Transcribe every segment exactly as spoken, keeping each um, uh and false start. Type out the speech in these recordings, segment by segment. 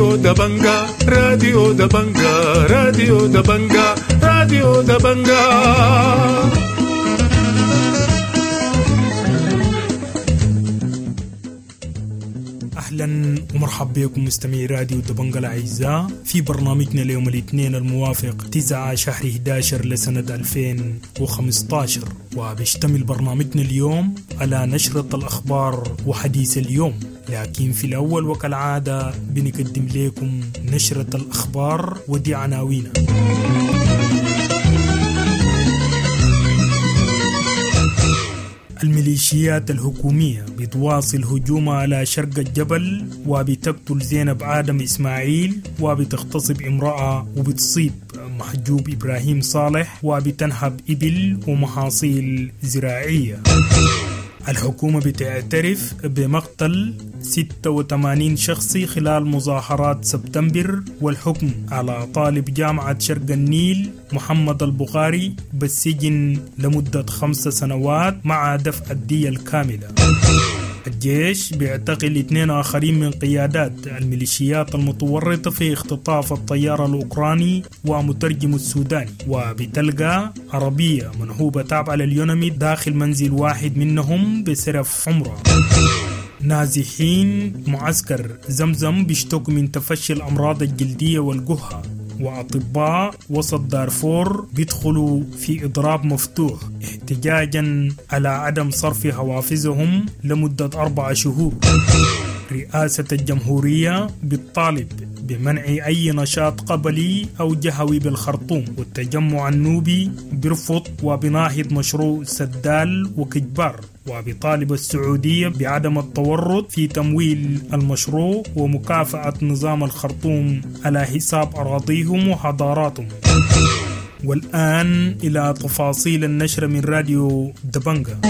راديو دبنجا، راديو دبنجا، راديو دبنجا، راديو دبنجا. أهلا ومرحبا بكم مستمعي راديو دبنجا الأعزاء في برنامجنا اليوم الاثنين الموافق تسعة شهر إحدى عشر لسنة ألفين وخمسة عشر، وبيشتمل برنامجنا اليوم على نشرة الأخبار وحديث اليوم. لكن في الأول وكالعادة بنقدم لكم نشرة الأخبار ودي عناوينها. الميليشيات الحكومية بتواصل هجومها على شرق الجبل وبتقتل زينب آدم إسماعيل وبتغتصب امرأة وبتصيب محجوب إبراهيم صالح وبتنهب إبل ومحاصيل زراعية. الحكومة بتعترف بمقتل ستة وثمانين شخص خلال مظاهرات سبتمبر والحكم على طالب جامعة شرق النيل محمد البخاري بالسجن لمدة خمس سنوات مع دفع الدية الكاملة. الجيش بيعتقل اثنين آخرين من قيادات الميليشيات المتورطة في اختطاف الطيار الأوكراني ومترجم السوداني، وبتلقى عربية منهوبة تابعة لليونامي داخل منزل واحد منهم بسرف عمرة. نازحين معسكر زمزم بيشتكوا من تفشي الأمراض الجلدية والجهة، وأطباء وسط دارفور بيدخلوا في إضراب مفتوح احتجاجا على عدم صرف حوافزهم لمدة أربع شهور. رئاسة الجمهورية بتطالب بمنع أي نشاط قبلي أو جهوي بالخرطوم، والتجمع النوبي بيرفض وبناهض مشروع سدال وكجبار، وبطالب السعودية بعدم التورط في تمويل المشروع ومكافأة نظام الخرطوم على حساب أراضيهم وحضاراتهم. والآن إلى تفاصيل النشرة من راديو دبنجا.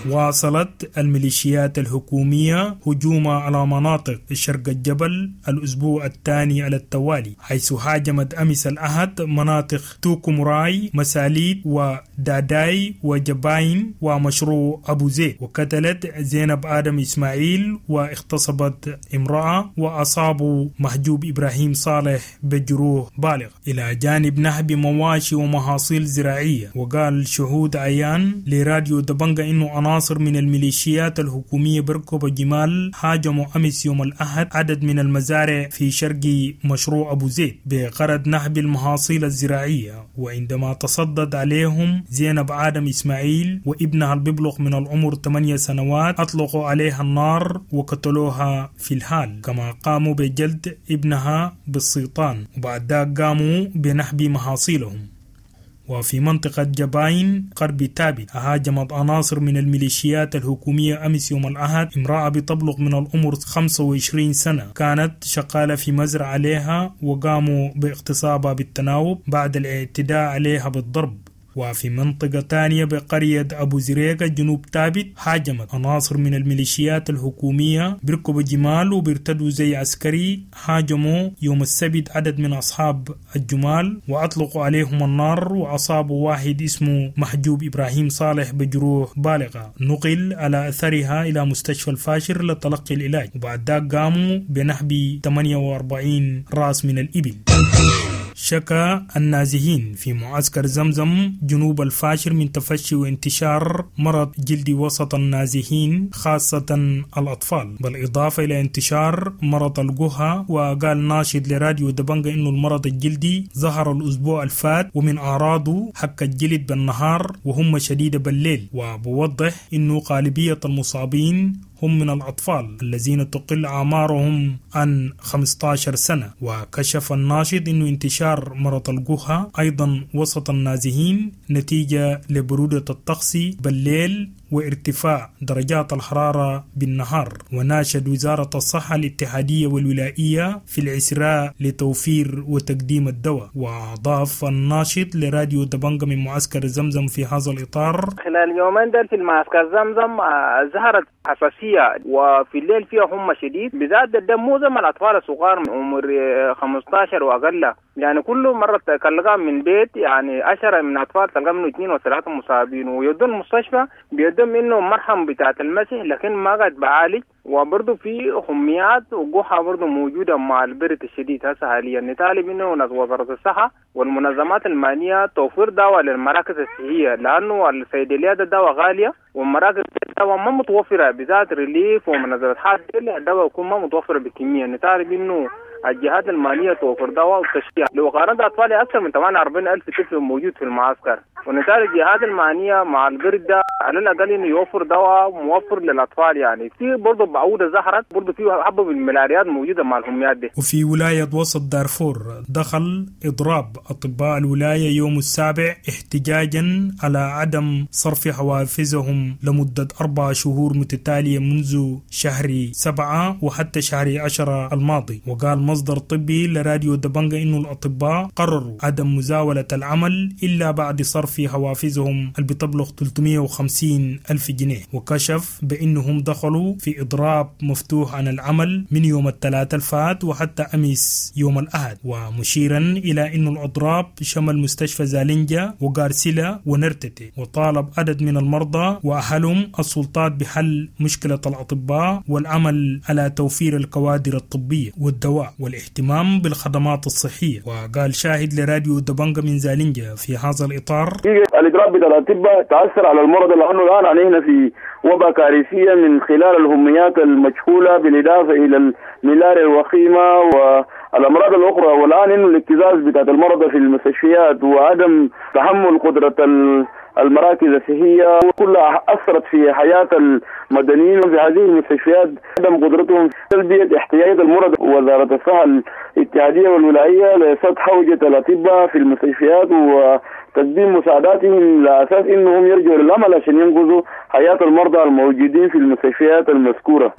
واصلت الميليشيات الحكومية هجومها على مناطق شرق الجبل الأسبوع الثاني على التوالي، حيث هاجمت أمس الأحد مناطق توكومراي، مساليت وداداي وجباين ومشروع أبو زيد، وقتلت زينب آدم إسماعيل واغتصبت امرأة وأصابوا محجوب إبراهيم صالح بجروح بالغ، إلى جانب نهب مواشي ومحاصيل زراعية. وقال شهود عيان لراديو دبنجا إنه عناصر من الميليشيات الحكومية بركب الجمال هاجموا أمس يوم الأحد عدد من المزارع في شرق مشروع أبو زيد بغرض نهب المحاصيل الزراعية، وعندما تصدد عليهم زينب آدم إسماعيل وابنها الببلغ من العمر ثمانية سنوات أطلقوا عليها النار وقتلوها في الحال، كما قاموا بجلد ابنها بالسيطان، وبعد ذلك قاموا بنهب محاصيلهم. وفي منطقة جباين غرب تابت هاجمت عناصر من الميليشيات الحكومية أمس يوم الأحد امرأة بتبلغ من العمر خمسة وعشرين سنة كانت شغالة في مزرعة عليها، وقاموا باغتصابها بالتناوب بعد الاعتداء عليها بالضرب. وفي منطقة تانية بقرية أبو زريقة جنوب تابت هاجمت عناصر من الميليشيات الحكومية بركبوا جمال وبيرتدوا زي عسكري، هاجموا يوم السبت عدد من أصحاب الجمال وأطلقوا عليهم النار وأصابوا واحد اسمه محجوب إبراهيم صالح بجروح بالغة، نقل على أثرها إلى مستشفى الفاشر لتلقي العلاج، وبعد ذلك قاموا بنهب ثمانية وأربعين رأس من الإبل. شكا النازحين في معسكر زمزم جنوب الفاشر من تفشي وانتشار مرض جلدي وسط النازحين خاصة الأطفال، بالإضافة إلى انتشار مرض الجهة. وقال ناشد لراديو دبنجا إنه المرض الجلدي ظهر الأسبوع الفات ومن أعراضه حك الجلد بالنهار وهم شديدة بالليل، وبوضح إنه غالبية المصابين هم من الأطفال الذين تقل أعمارهم عن خمسة عشر سنة. وكشف الناشط أنه انتشار مرض الجهة أيضا وسط النازحين نتيجة لبرودة الطقس بالليل وارتفاع درجات الحرارة بالنهار. وناشد وزارة الصحة الاتحادية والولائية في العسراء لتوفير وتقديم الدواء. وأضاف الناشط لراديو دبنجا من معسكر زمزم في هذا الإطار: خلال يومين دول في المعسكر زمزم ظهرت حساسية حساسية، وفي الليل فيها حمى شديد، بالذات ده معظم الأطفال الصغار من عمر خمستاشر وأقل، يعني كل مرة تلقى من بيت يعني عشرة من الأطفال تلقى منه اثنين وثلاثة مصابين، ويودون المستشفى بيدون منه مرهم بتاعة المسح لكن ما قاعد بعالج. وبرضه في حميات وقحة برضه موجودة مع البرد الشديد هسه حاليا. نطالب انه ناس وزارة الصحة والمنظمات المعنية توفير دواء للمراكز الصحية، لأنه الصيدليات الدواء غالية والمراكز الدواء ما متوفرة، بالذات ريليف ومنظمة حاجة الدواء يكون ما متوفرة بكمية. نطالب انه الجهات المالية توفر دواء وتشجيع. لو قارنت أطفالي أكثر من ثمانية وأربعين ألف طفل موجود في المعسكر، ونطالب الجهات المعنية مع البرد ده على الأقل إنه يوفر دواء موفر للأطفال. يعني في برضه بعوضة زهرت، برضه في حبة من الملاريات موجودة مع الحميات دي. وفي ولاية وسط دارفور دخل إضراب أطباء الولاية يوم السابع احتجاجا على عدم صرف حوافزهم لمدة أربع شهور متتالية منذ شهر سبعة وحتى شهر عشرة الماضي. وقال مصدر طبي لراديو دبنجا إنه الأطباء قرروا عدم مزاولة العمل إلا بعد صرف حوافزهم اللي بتبلغ ثلاثمية وخمسين ألف جنيه، وكشف بأنهم دخلوا في إضراب مفتوح عن العمل من يوم الثلاثاء الفات وحتى أمس يوم الأحد، ومشيرا إلى أن الإضراب شمل مستشفى زالنجا وغارسيلا ونرتتي. وطالب عدد من المرضى وأهلهم السلطات بحل مشكلة الأطباء والعمل على توفير الكوادر الطبية والدواء والاهتمام بالخدمات الصحية. وقال شاهد لراديو دبنجا من زالنجا في هذا الإطار: الإضراب بتاع الأطباء تأثر على المرضى، لأنه الآن علينا في وباء كارثية من خلال الهميات المجهولة بالإضافة إلى الملاريا الوخيمة والأمراض الأخرى. والآن إنه الاكتظاظ بتاع المرضى في المستشفيات وعدم تحمل قدرة المراكز الصحية كلها أثرت في حياة المدنيين في هذه المستشفيات، عدم قدرتهم تلبية احتياجات المرضى. وزارة الصحة الاتحادية والولائية لسد حوجة الأطباء في المستشفيات وتقديم مساعداتهم لأساس إنهم يرجعوا للعمل عشان ينقذوا حياة المرضى الموجودين في المستشفيات المذكورة.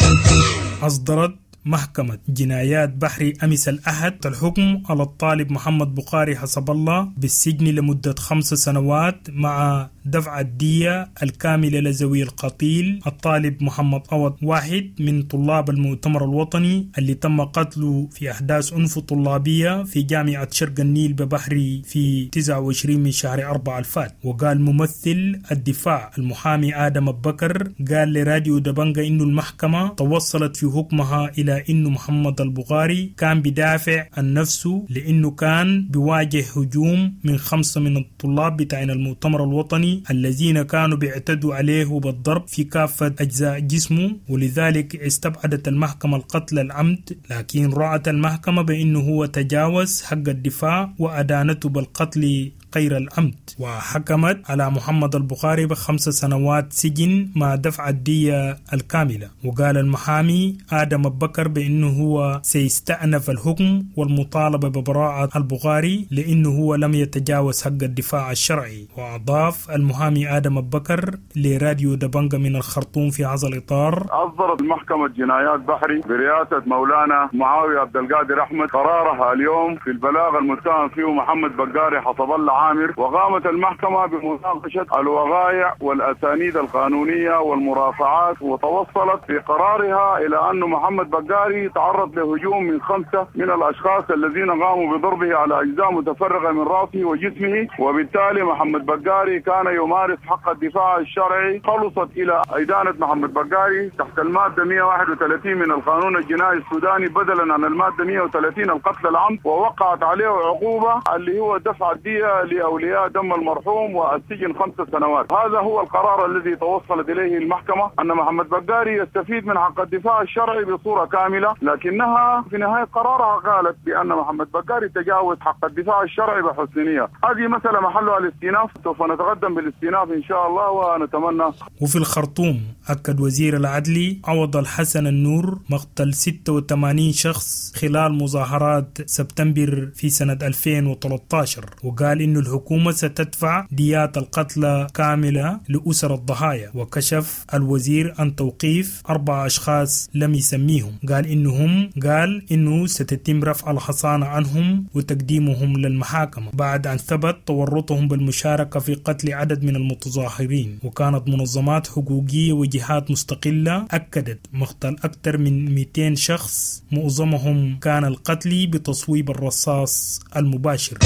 أصدرت محكمة جنايات بحري أمس الأحد الحكم على الطالب محمد بخاري حسب الله بالسجن لمدة خمس سنوات مع دفع الدية الكاملة لذوي القتيل الطالب محمد عوض، واحد من طلاب المؤتمر الوطني اللي تم قتله في أحداث عنف طلابية في جامعة شرق النيل ببحري في تسعة وعشرين من شهر أربعة الفات. وقال ممثل الدفاع المحامي آدم بكر قال لراديو دبنجا إنه المحكمة توصلت في حكمها إلى إنه محمد البخاري كان بدافع عن نفسه لأنه كان بيواجه هجوم من خمسة من الطلاب بتاعين المؤتمر الوطني الذين كانوا بيعتدوا عليه بالضرب في كافة أجزاء جسمه، ولذلك استبعدت المحكمة القتل العمد، لكن رأت المحكمة بأنه هو تجاوز حق الدفاع وأدانته بالقتل غير العمد، وحكمت على محمد البخاري بخمس سنوات سجن مع دفع الدية الكاملة. وقال المحامي آدم بكر بأنه هو سيستأنف الحكم والمطالبة ببراءة البخاري لأنه هو لم يتجاوز حق الدفاع الشرعي. وأضاف المحامي آدم بكر لراديو دبنجا من الخرطوم في هذا الإطار: أصدرت محكمة جنايات بحري برئاسة مولانا معاوية عبد القادر أحمد قرارها اليوم في البلاغ المتهم فيه محمد بقاري حسب الله عامر، وقامت المحكمة بمناقشة الوقائع والأسانيد القانونية والمرافعات، وتوصلت في قرارها إلى أن محمد بقاري تعرض لهجوم من خمسة من الأشخاص الذين قاموا بضربه على أجزاء متفرقة من رأسه وجسمه، وبالتالي محمد بقاري كان يمارس حق الدفاع الشرعي. خلصت إلى إدانة محمد بقاري تحت المادة مئة وواحد وثلاثين من القانون الجنائي السوداني بدلا عن المادة مئة وثلاثين القتل العمد، ووقعت عليه عقوبة اللي هو دفع الدية لأولياء دم المرحوم والسجن خمس سنوات. هذا هو القرار الذي توصلت إليه المحكمة، أن محمد بقاري يستفيد من حق الدفاع الشرعي بصورة كاملة، لكنها في نهاية قرارها قالت بأن محمد بقاري تجاوز حق الدفاع الشرعي بحسن نية. هذه مسألة محلها الاستئناف، سوف نتقدم بالاستئناف إن شاء الله ونتمنى. وفي الخرطوم أكد وزير العدل عوض الحسن النور مقتل ستة وثمانين شخص خلال مظاهرات سبتمبر في سنة ألفين وثلاثة عشر، وقال إنه الحكومة ستدفع ديات القتلى كاملة لأسر الضحايا. وكشف الوزير عن توقيف أربع أشخاص لم يسميهم، قال إنهم قال إنه ستتم رفع الحصانة عنهم وتقديمهم للمحاكمة بعد أن ثبت تورطهم بالمشاركة في قتل عدد من المتظاهرين. وكانت منظمات حقوقية وجهات مستقلة أكدت مقتل أكثر من مئتين شخص، معظمهم كان القتل بتصويب الرصاص المباشر.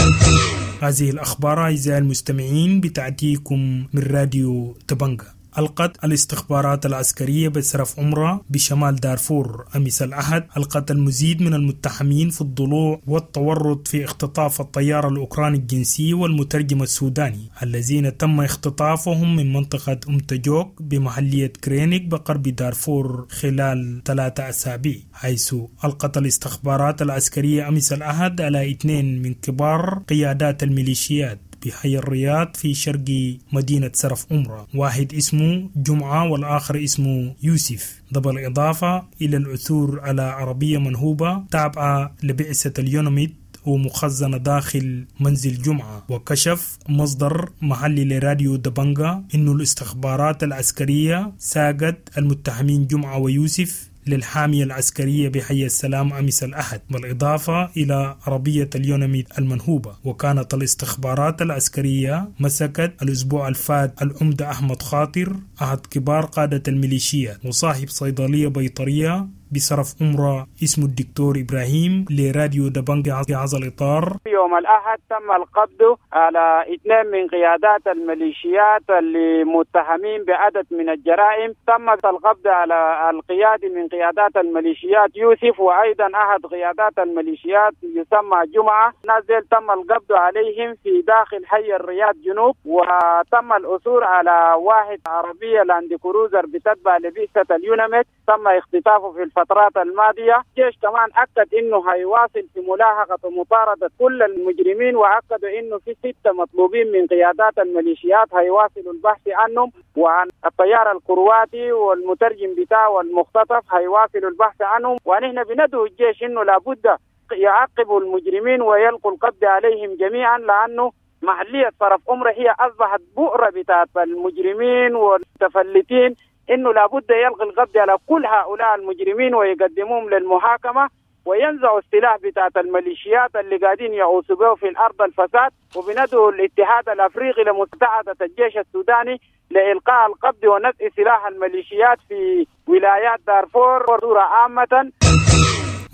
هذه الأخبار أعزائي المستمعين بتأتيكم من راديو دبنقا. ألقت الاستخبارات العسكرية بسرف عمرة بشمال دارفور أمس الأحد ألقت المزيد من المتهمين في الضلوع والتورط في اختطاف الطيار الأوكراني الجنسي والمترجم السوداني الذين تم اختطافهم من منطقة أم تجوك بمحلية كرينيك بقرب دارفور خلال ثلاثة أسابيع، حيث ألقت الاستخبارات العسكرية أمس الأحد على اثنين من كبار قيادات الميليشيات بحي الرياض في شرق مدينة سرف عمرة، واحد اسمه جمعة والآخر اسمه يوسف، ده بالإضافة إلى العثور على عربية منهوبة تابعة لبعثة اليونميد ومخزنة داخل منزل جمعة. وكشف مصدر محلي لراديو دبنقا إنه الاستخبارات العسكرية ساقت المتهمين جمعة ويوسف للحامية العسكرية بحي السلام أمس الأحد، بالإضافة إلى عربية اليونميد المنهوبة. وكانت الاستخبارات العسكرية مسكت الأسبوع الفات العمدة أحمد خاطر أحد كبار قادة الميليشيا وصاحب صيدلية بيطرية بصرف عمرة اسمه الدكتور إبراهيم لراديو دبنقا في هذا الإطار. يوم الأحد تم القبض على اثنين من قيادات الميليشيات اللي متهمين بعدد من الجرائم. تم القبض على القيادي من قيادات الميليشيات يوسف، وأيضا أحد قيادات الميليشيات يسمى جمعة. نازل تم القبض عليهم في داخل حي الرياض جنوب، وتم العثور على واحد عربية لاند كروزر بتتبع لبعثة اليونميد تم اختطافه في الفترات الماضية. الجيش كمان أكد إنه هيواصل في ملاحقة ومطاردة كل المجرمين، وأكدوا إنه في ستة مطلوبين من قيادات الميليشيات هيواصلوا البحث عنهم، وعن الطيار الكرواتي والمترجم بتاعه والمختطف هيواصلوا البحث عنهم. ونحن بندعو الجيش إنه لابد يعاقبوا المجرمين ويلقوا القبض عليهم جميعا، لأنه محلية صرف عمرة هي أصبحت بؤرة بتاعت المجرمين والمتفلتين، إنه لابد يلقي القبض على كل هؤلاء المجرمين ويقدموهم للمحاكمة وينزعوا السلاح بتاعت الميليشيات اللي قاعدين يعوصوا به في الأرض الفساد. وبندعو الاتحاد الأفريقي لمساعدة الجيش السوداني لإلقاء القبض ونزع سلاح الميليشيات في ولايات دارفور وصورة عامة.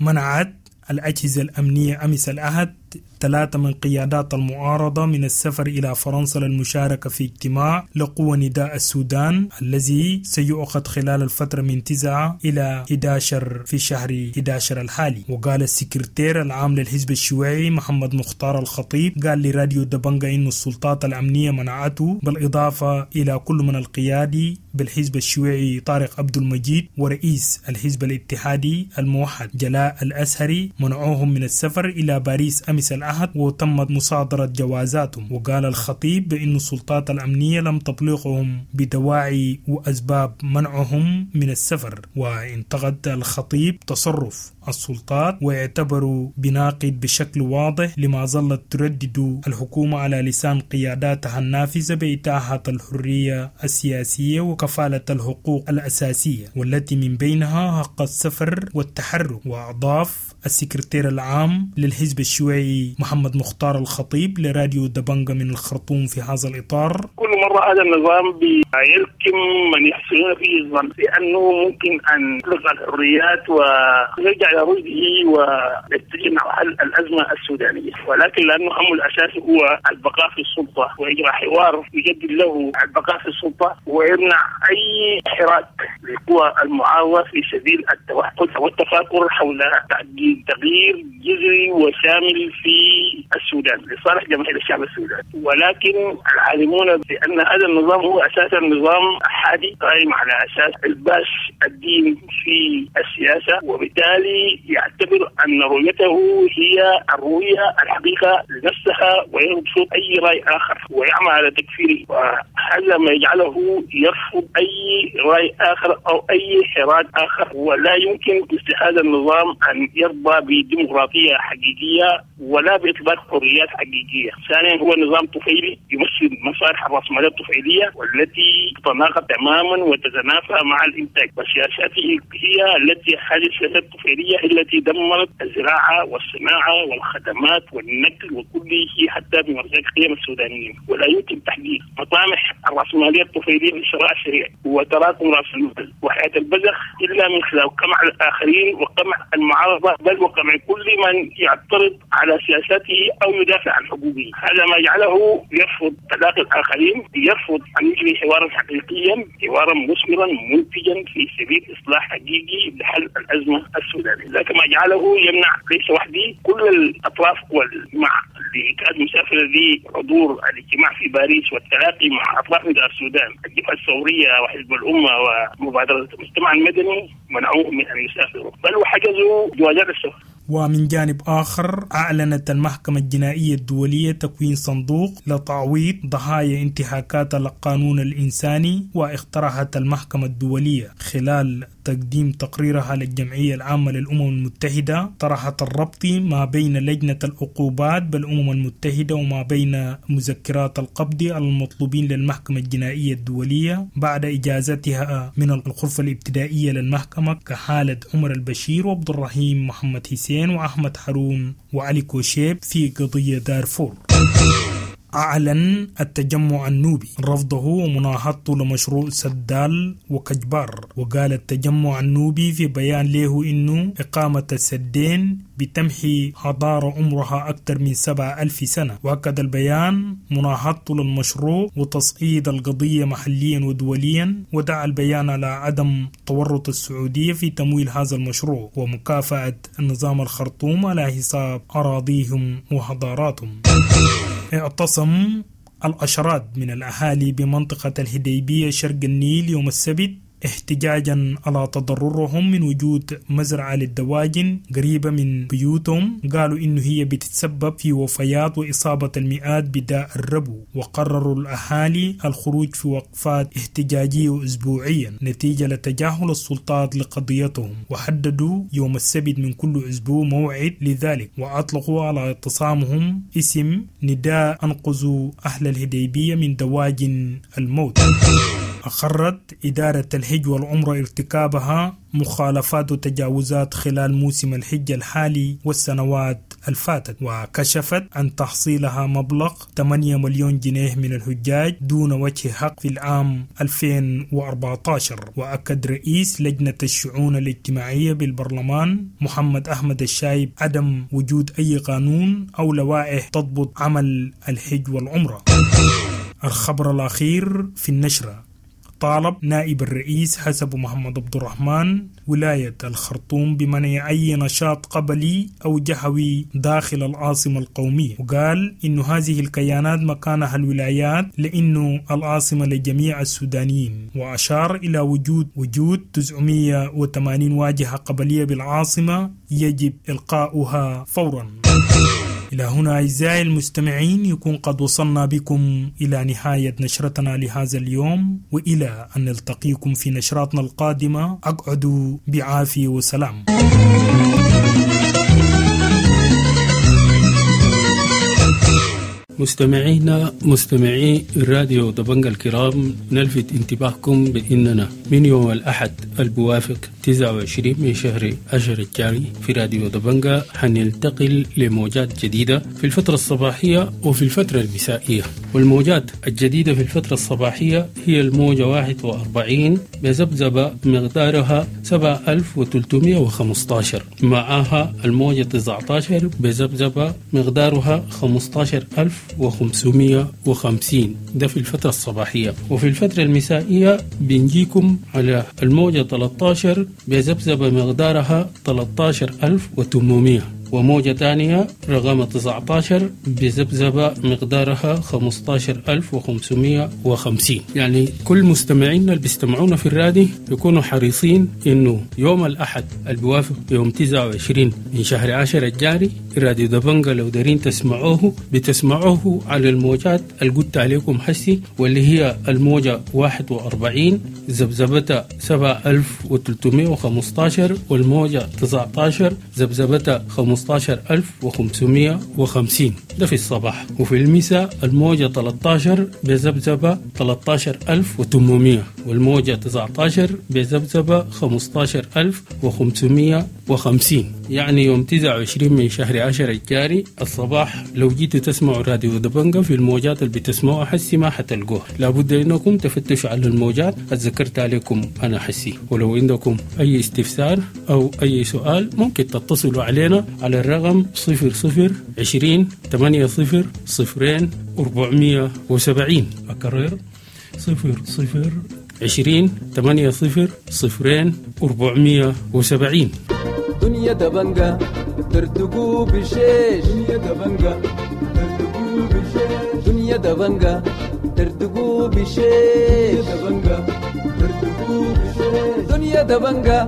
منعت الأجهزة الأمنية أمس الأحد ثلاثة من قيادات المعارضة من السفر إلى فرنسا للمشاركة في اجتماع لقوى نداء السودان الذي سيعقد خلال الفترة من تسعة إلى أحد عشر في شهر أحد عشر الحالي. وقال السكرتير العام للحزب الشيوعي محمد مختار الخطيب قال لراديو دبنقا إن السلطات الأمنية منعته، بالإضافة إلى كل من القيادي بالحزب الشيوعي طارق عبد المجيد ورئيس الحزب الاتحادي الموحد جلاء الأزهري، منعوهم من السفر إلى باريس أمس الأحد وتمت مصادرة جوازاتهم. وقال الخطيب بأن السلطات الأمنية لم تبلغهم بدواعي وأسباب منعهم من السفر. وانتقد الخطيب تصرف السلطات واعتبروا بناقد بشكل واضح لما ظلت تردد الحكومة على لسان قياداتها النافذة بإتاحة الحرية السياسية وكفالة الحقوق الأساسية والتي من بينها حق السفر والتحرك. وأضاف السكرتير العام للحزب الشيوعي محمد مختار الخطيب لراديو دبنقا من الخرطوم في هذا الإطار: كل مرة هذا النظام بيلكم من يحسنون فيه الظن بأنه ممكن أن يطلق الحريات ويرجع إلى رشده ويتجه مع حل الأزمة السودانية، ولكن لأنه همه الأساسي هو البقاء في السلطة وإجراء حوار يجدد له البقاء في السلطة ويمنع أي حراك لقوى المعارضة في سبيل التوحد والتفاكر حول تغيير جذري وشامل في السودان لصالح جماهير الشعب السوداني. ولكن العالمون بأن هذا النظام هو أساسا نظام أحادي قائم على أساس الباس الدين في السياسة، وبالتالي يعتبر أن رؤيته هي الرؤية الحقيقة لنفسها ويرفض أي رأي آخر ويعمل على تكفيره. وهذا هذا ما يجعله يرفض أي رأي آخر أو أي حراك آخر، ولا يمكن مثل هذا النظام أن يرضى بديمقراطية حقيقية ولا بإطلاق حريات حقيقية. ثانيا هو نظام طفيلي يمثل مصالح الرأسمالية الطفيلية والتي تتناقض تماما وتتنافى مع الإنتاج، وسياساته هي التي هذه السياسات الطفيلية التي دمرت الزراعة والصناعة والخدمات والنقل وكل شيء حتى بمرجع قيم السودانيين. ولا يمكن تحقيق مطامح الرأسمالية الطفيلية في الشراء السريع وتراكم رأس المال وحياة البذخ إلا من خلال قمع الآخرين وقمع المعارضة، بل وقمع كل من يعترض على سياساته أو يدافع عن حقوقه. هذا ما يجعله يرفض تلاقي الآخرين، يرفض أن يجري حوارا حقيقيا، حوارا مثمرا منتجا في سبيل إصلاح حقيقي لحل الأزمة السودانية. لكن ما جعله يمنع ليس وحدي كل الأطراف والمع اللي كانت مسافرة لحضور الاجتماع في باريس والتلاقي مع أطراف من السودان، الجبهة الثورية وحزب الأمة ومبادرة المجتمع المدني، منعوه من أن يسافروا بل وحجزوا جوازات السفر. ومن جانب آخر، أعلنت المحكمة الجنائية الدولية تكوين صندوق لتعويض ضحايا انتهاكات القانون الإنساني، واقترحت المحكمة الدولية خلال تقديم تقريرها للجمعية العامة للأمم المتحدة طرحت الربط ما بين لجنة العقوبات بالأمم المتحدة وما بين مذكرات القبض المطلوبين للمحكمة الجنائية الدولية بعد إجازتها من الغرفة الابتدائية للمحكمة كحالة عمر البشير وعبد الرحيم محمد حسين وأحمد حرون وعلي كوشيب في قضية دارفور. أعلن التجمع النوبي رفضه ومناهضته لمشروع سدال وكجبار، وقال التجمع النوبي في بيان له إنه إقامة السدين بتمحي حضارة عمرها أكثر من سبعة ألف سنة. وأكد البيان مناهضته للمشروع وتصعيد القضية محليا ودوليا، ودعا البيان على عدم تورط السعودية في تمويل هذا المشروع ومكافأة نظام الخرطوم على حساب أراضيهم وحضاراتهم. اعتصم العشرات من الأهالي بمنطقة الهديبية شرق النيل يوم السبت احتجاجا على تضررهم من وجود مزرعة للدواجن قريبة من بيوتهم، قالوا إنه هي بتتسبب في وفيات وإصابة المئات بداء الربو. وقرروا الأهالي الخروج في وقفات احتجاجية أسبوعيا نتيجة لتجاهل السلطات لقضيتهم، وحددوا يوم السبت من كل أسبوع موعد لذلك، وأطلقوا على اعتصامهم اسم نداء أنقذوا أهل الهديبية من دواجن الموت. أقرت إدارة الحج والعمرة ارتكابها مخالفات وتجاوزات خلال موسم الحج الحالي والسنوات الفاتت، وكشفت عن تحصيلها مبلغ ثمانية مليون جنيه من الحجاج دون وجه حق في العام ألفين وأربعة عشر. وأكد رئيس لجنة الشؤون الاجتماعية بالبرلمان محمد أحمد الشايب عدم وجود أي قانون أو لوائح تضبط عمل الحج والعمرة. الخبر الأخير في النشرة: طالب نائب الرئيس حسب محمد عبد الرحمن ولاية الخرطوم بمنع أي نشاط قبلي أو جهوي داخل العاصمة القومية، وقال إن هذه الكيانات مكانها الولايات لأنه العاصمة لجميع السودانيين، وأشار إلى وجود وجود تسعمائة وثمانين واجهة قبلية بالعاصمة يجب إلقاؤها فورا. إلى هنا أعزائي المستمعين يكون قد وصلنا بكم إلى نهاية نشرتنا لهذا اليوم، وإلى أن نلتقيكم في نشراتنا القادمة أقعدوا بعافية وسلام. مستمعينا مستمعي الراديو دبنجا الكرام، نلفت انتباهكم بأننا من يوم الأحد البوافق تسعة وعشرين من شهر عشر الجاري في راديو دبنجا حننتقل لموجات جديدة في الفترة الصباحية وفي الفترة المسائية. والموجات الجديدة في الفترة الصباحية هي الموجة واحد وأربعين بذبذبة مقدارها سبعة آلاف وثلاثمائة وخمسة عشر، معها الموجة تسعة عشر بذبذبة مقدارها خمسة عشر ألف وخمسمائة وخمسين، ده في الفترة الصباحية. وفي الفترة المسائية بنجيكم على الموجة ثلاثة عشر بذبذبة مقدارها ثلاثة عشر ألف وثمانمائة، وموجة ثانية رقم تسعة عشر بذبذبة مقدارها خمسة عشر ألف وخمسمائة وخمسين. يعني كل مستمعينا اللي بيستمعونا في الرادي يكونوا حريصين إنه يوم الأحد البوافق يوم تسعة وعشرين من شهر عشرة الجاري راديو دبنجة لو دارين تسمعوه بتسمعوه على الموجات اللي قلت عليكم حسي، واللي هي الموجة واحد وأربعين ذبذبتها سبعة ألف وثلاثمائة وخمسة عشر، والموجة تسعة عشر ذبذبتها خمسة عشر ألف وخمسمائة وخمسين، ده في الصباح. وفي المساء الموجة ثلاثة عشر بذبذبة ثلاثة عشر ألف وثمانمائة، والموجة تسعة عشر بذبذبة خمسة عشر ألف وخمسمائة وخمسين. يعني يوم تسعة وعشرين من شهر عشرة الجاري الصباح لو جيتوا تسمعوا راديو دبنجة في الموجات اللي بتسمعوها حسي ما حتلقوها، لابد انكم تفتشوا على الموجات اتذكرت عليكم انا حسي. ولو عندكم اي استفسار او اي سؤال ممكن تتصلوا علينا على الرقم صفر صفر عشرين ثمانية صفر صفرين أربعمائة وسبعين. أكرر صفر صفر عشرين ثمانية صفر صفرين أربعمائة وسبعين. دنيا دبنجة ترتقو بشيش، دنيا دبنجة ترتقو بشيش، دنيا دبنجة ترتقو بشيش، دبنجة ترتقو بشيش، دنيا دبنجة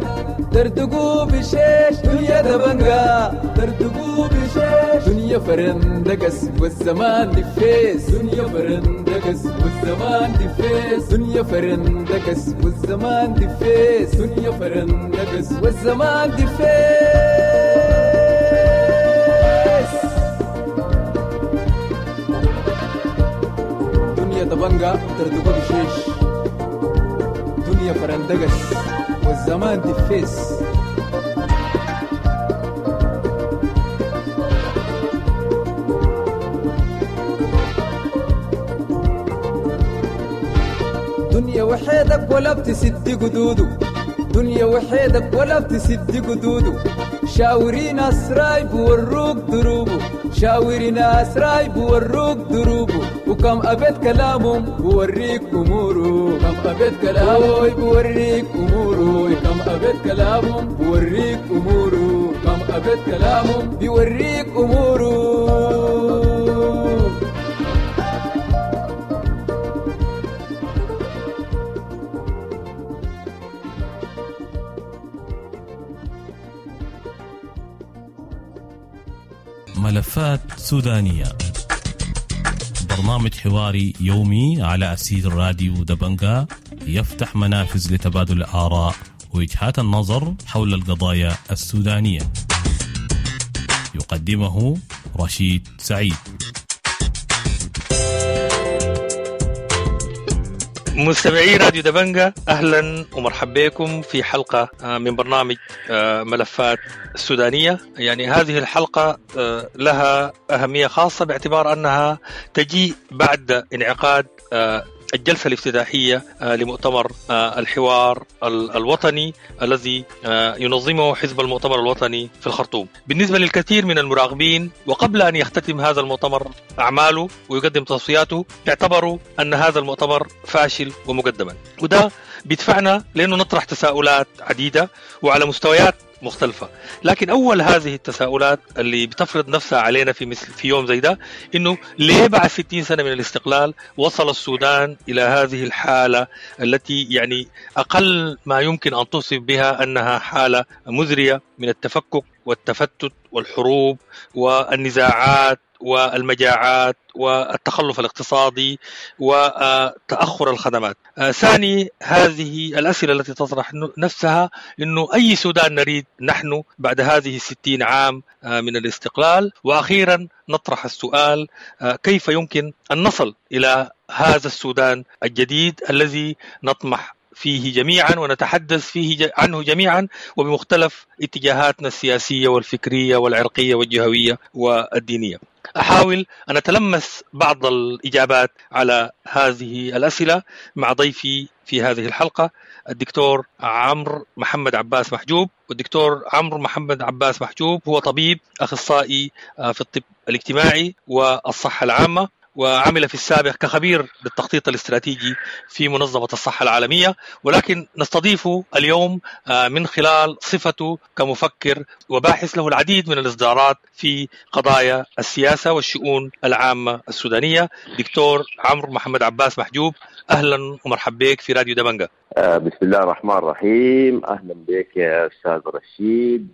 ترتقو بشيش، دنيا دبنجة ترتقو بشيش، دنيا فرندقس والزمان دفيس، دنيا فرندقس والزمان دفيس، دنيا فرندقس والزمان دفيس، دنيا فرندقس والزمان دفيس. دنيا دبنجة ترتقو بشيش، دنيا فرندقس والزمان دفيس. دنيا وحيدك ولا بتسد قدوده، دنيا وحيدك ولا بتسد قدوده، شاوري ناس رايب وروك دروبه، شاوري ناس رايب وروك دروبه، وكم أبيت كلامهم بوريك أموره، كم أبيت كلامه بوريك أموره، كم أبيت كلامهم بوريك أموره، كم أبيت كلامهم بيوريك أموره. ملفات سودانية، برنامج حواري يومي على أسير راديو دبنجا يفتح منافذ لتبادل الآراء ووجهات النظر حول القضايا السودانية. يقدمه رشيد سعيد. مستمعي راديو دبنجة، أهلا ومرحبا بكم في حلقة من برنامج ملفات السودانية. يعني هذه الحلقة لها أهمية خاصة باعتبار أنها تجي بعد انعقاد الجلسة الافتتاحية لمؤتمر الحوار الوطني الذي ينظمه حزب المؤتمر الوطني في الخرطوم. بالنسبة للكثير من المراقبين، وقبل أن يختتم هذا المؤتمر أعماله ويقدم توصياته، اعتبروا أن هذا المؤتمر فاشل ومقدما، وده بيدفعنا لأنه نطرح تساؤلات عديدة وعلى مستويات مختلفة. لكن أول هذه التساؤلات اللي بتفرض نفسها علينا في مثل في يوم زي ده، إنه ليه بعد ستين سنة من الاستقلال وصل السودان إلى هذه الحالة التي يعني أقل ما يمكن أن توصف بها أنها حالة مزرية من التفكك والتفتت والحروب والنزاعات والمجاعات والتخلف الاقتصادي وتأخر الخدمات. ثاني هذه الأسئلة التي تطرح نفسها إنه أي سودان نريد نحن بعد هذه الستين عام من الاستقلال؟ وأخيرا نطرح السؤال، كيف يمكن أن نصل إلى هذا السودان الجديد الذي نطمح فيه جميعا ونتحدث فيه عنه جميعا وبمختلف اتجاهاتنا السياسية والفكرية والعرقية والجهوية والدينية؟ أحاول أن أتلمس بعض الإجابات على هذه الأسئلة مع ضيفي في هذه الحلقة الدكتور عمرو محمد عباس محجوب. والدكتور عمرو محمد عباس محجوب هو طبيب أخصائي في الطب الاجتماعي والصحة العامة، وعمل في السابق كخبير للتخطيط الاستراتيجي في منظمة الصحة العالمية، ولكن نستضيفه اليوم من خلال صفته كمفكر وباحث له العديد من الإصدارات في قضايا السياسة والشؤون العامة السودانية. دكتور عمرو محمد عباس محجوب، أهلا ومرحبا بك في راديو دبنجة. بسم الله الرحمن الرحيم. أهلا بك يا أستاذ رشيد،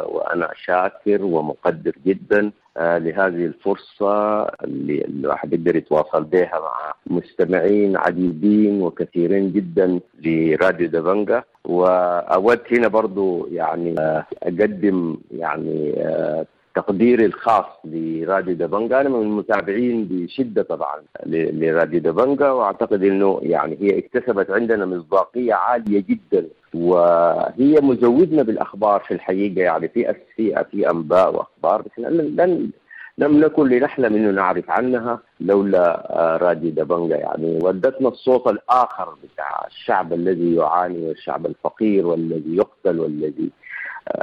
وأنا شاكر ومقدر جدا لهذه الفرصة اللي الواحد يقدر يتواصل بها مع مستمعين عديدين وكثيرين جدا لراديو دبنجة. وأود هنا برضو يعني أقدم يعني تقديري الخاص لراديو دبنجة. أنا من المتابعين بشدة طبعا لراديو دبنجة، وأعتقد أنه يعني هي اكتسبت عندنا مصداقية عالية جدا، وهي مزودنا بالأخبار في الحقيقة. يعني في في في أنباء وأخبار بس لن لم نكن لنحلم أنه نعرف عنها لولا راديو دبنجة. يعني ودتنا الصوت الآخر بتاع الشعب الذي يعاني، والشعب الفقير، والذي يقتل، والذي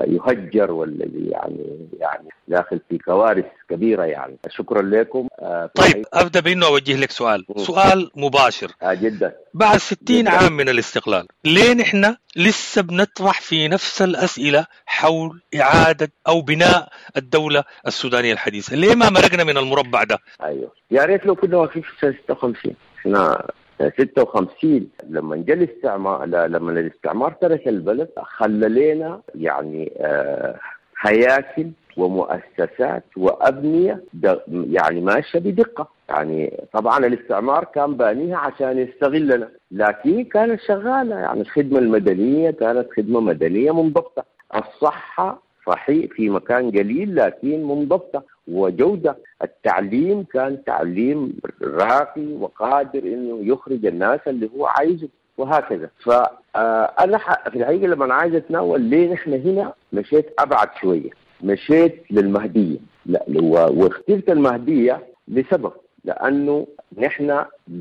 يهجر، والذي يعني يعني داخل في كوارث كبيرة. يعني شكرا لكم. طيب أبدأ بأنه أوجه لك سؤال م. سؤال مباشر آه جدا. بعد ستين جداً. عام من الاستقلال، ليه نحن لسه بنطرح في نفس الأسئلة حول إعادة أو بناء الدولة السودانية الحديثة؟ ليه ما مرقنا من المربع ده؟ أيوه، يا ريت لو كنا واقفين في سنة ستة وخمسين. احنا ستة وخمسين لما جاء الاستعمار، لما الاستعمار ترك البلد، خلى لنا يعني آه هياكل ومؤسسات وأبنية يعني ماشية بدقة. يعني طبعا الاستعمار كان بانيها عشان يستغلنا، لكن كانت شغالة. يعني الخدمة المدنية كانت خدمة مدنية منضبطة، الصحة صحيح في مكان قليل لكن منضبطة وجودة، التعليم كان تعليم راقي وقادر إنه يخرج الناس اللي هو عايزه وهكذا. فأنا في الحقيقة لما أنا عايز أتناول ليه نحن هنا مشيت أبعد شوية، مشيت للمهدية. لا، واخترت المهدية لسبب، لأنه نحن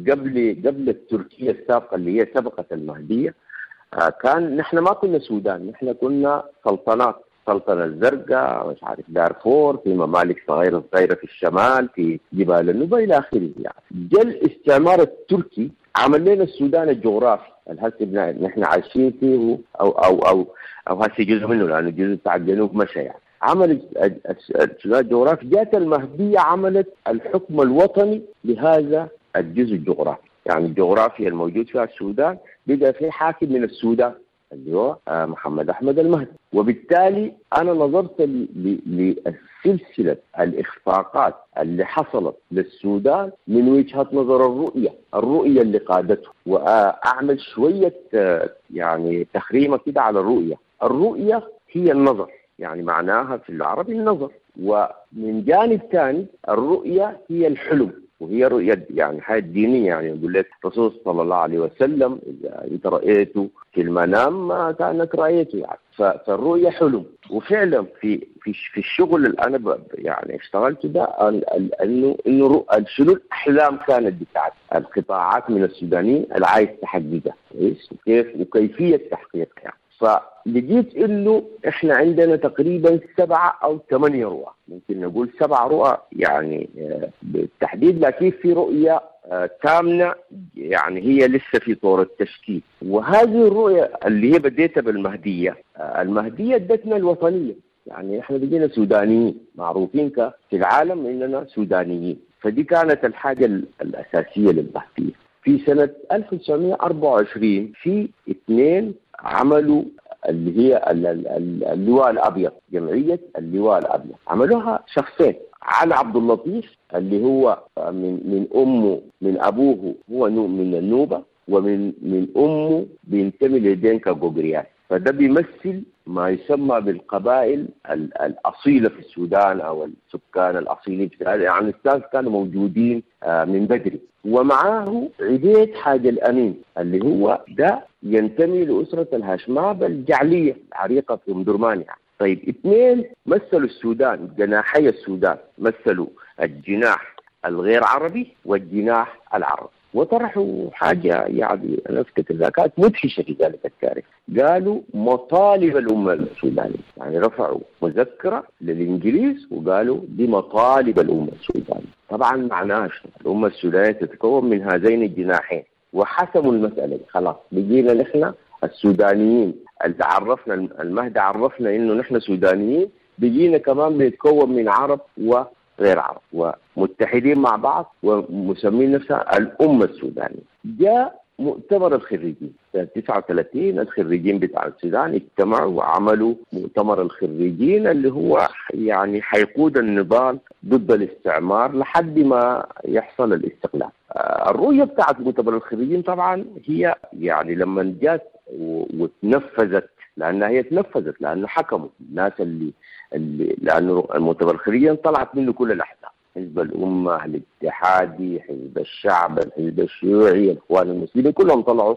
قبل قبل التركية السابقة اللي هي سبقت المهدية، كان نحن ما كنا سودان، نحن كنا سلطنات، السلطنة الزرقاء، مش عارف دارفور، في ممالك صغيرة صغيرة في الشمال، في جبال النوبة إلى آخره. يعني جاء الاستعمار التركي عمل لنا السودان الجغرافي الهسي نحن عايشين فيه، أو أو أو أو هسي جزء منه لأنه الجزء بتاع الجنوب مشى. يعني عمل السودان الجغرافي. جاءت المهدية عملت الحكم الوطني لهذا الجزء الجغرافي. يعني الجغرافيا الموجود فيها السودان بقى في حاكم من السودان اللي هو محمد أحمد المهدي. وبالتالي أنا نظرت لسلسلة الإخفاقات اللي حصلت للسودان من وجهة نظر الرؤية، الرؤية اللي قادته، وأعمل شوية يعني تخريمة كده على الرؤية. الرؤية هي النظر، يعني معناها في العربي النظر، ومن جانب ثاني الرؤية هي الحلم، وهي رؤية يعني حياة دينية. يعني يقول لك الرسول صلى الله عليه وسلم إذا أنت رأيته في المنام ما كأنك رأيته. يعني فالرؤية حلم. وفعلا في في في الشغل اللي أنا يعني اشتغلته ده إنه إنه شنو الأحلام كانت بتاعت القطاعات من السودانيين اللي عايز تحققها، كويس، وكيف وكيفية تحقيقها. يعني فلقيت انه احنا عندنا تقريبا سبعة او ثمانية رؤى، ممكن نقول سبع رؤى يعني بالتحديد، لكن في رؤية ثامنة يعني هي لسه في طور التشكيل. وهذه الرؤية اللي هي بديتها بالمهدية، المهدية ادتنا الوطنية، يعني احنا بقينا سودانيين معروفين في العالم اننا سودانيين، فدي كانت الحاجة الأساسية للمهدية. في سنة ألف وتسعمائة وأربعة وعشرين في اثنين عملوا اللي هي اللواء الأبيض، جمعية اللواء الأبيض، عملوها شخصين، علي عبد اللطيف اللي هو من من أمه من أبوه هو من النوبة، ومن من أمه بينتمي لدينكا جوجريان، فده بيمثل ما يسمى بالقبائل الأصيلة في السودان أو السكان الأصيلين في السودان، يعني الناس كانوا موجودين من بدري. ومعاه عبيد حاج الأمين اللي هو ده ينتمي لأسرة الهاشماب الجعلية العريقة في أم درمان. يعني طيب اثنين مثلوا السودان، جناحي السودان، مثلوا الجناح الغير عربي والجناح العربي. وطرحوا حاجة يعني أنا أفتكر كانت مدهشة في ذلك التاريخ، قالوا مطالب الأمة السودانية، يعني رفعوا مذكرة للإنجليز وقالوا دي مطالب الأمة السودانية. طبعا معناها الأمة السودانية تتكون من هذين الجناحين، وحسموا المسألة دي. خلاص بقينا نحن السودانيين اللي عرفنا المهدي عرفنا إنه نحن سودانيين، بقينا كمان بنتكون من عرب و غير عرب ومتحدين مع بعض ومسمين نفسها الأمة السودانية. جاء مؤتمر الخريجين سنة تسعة وثلاثين، الخريجين بتاع السودان اجتمعوا وعملوا مؤتمر الخريجين اللي هو يعني حيقود النضال ضد الاستعمار لحد ما يحصل الاستقلال. الرؤية بتاعت مؤتمر الخريجين طبعا هي يعني لما جات وتنفذت، لأنها هي تنفذت لأنه حكموا الناس اللي, اللي لأنه المؤتمر الخريجين طلعت منه كل الأحزاب، حزب الأمة، الاتحادي، حزب الشعب، الحزب الشيوعي، الإخوان المسلمين، كلهم طلعوا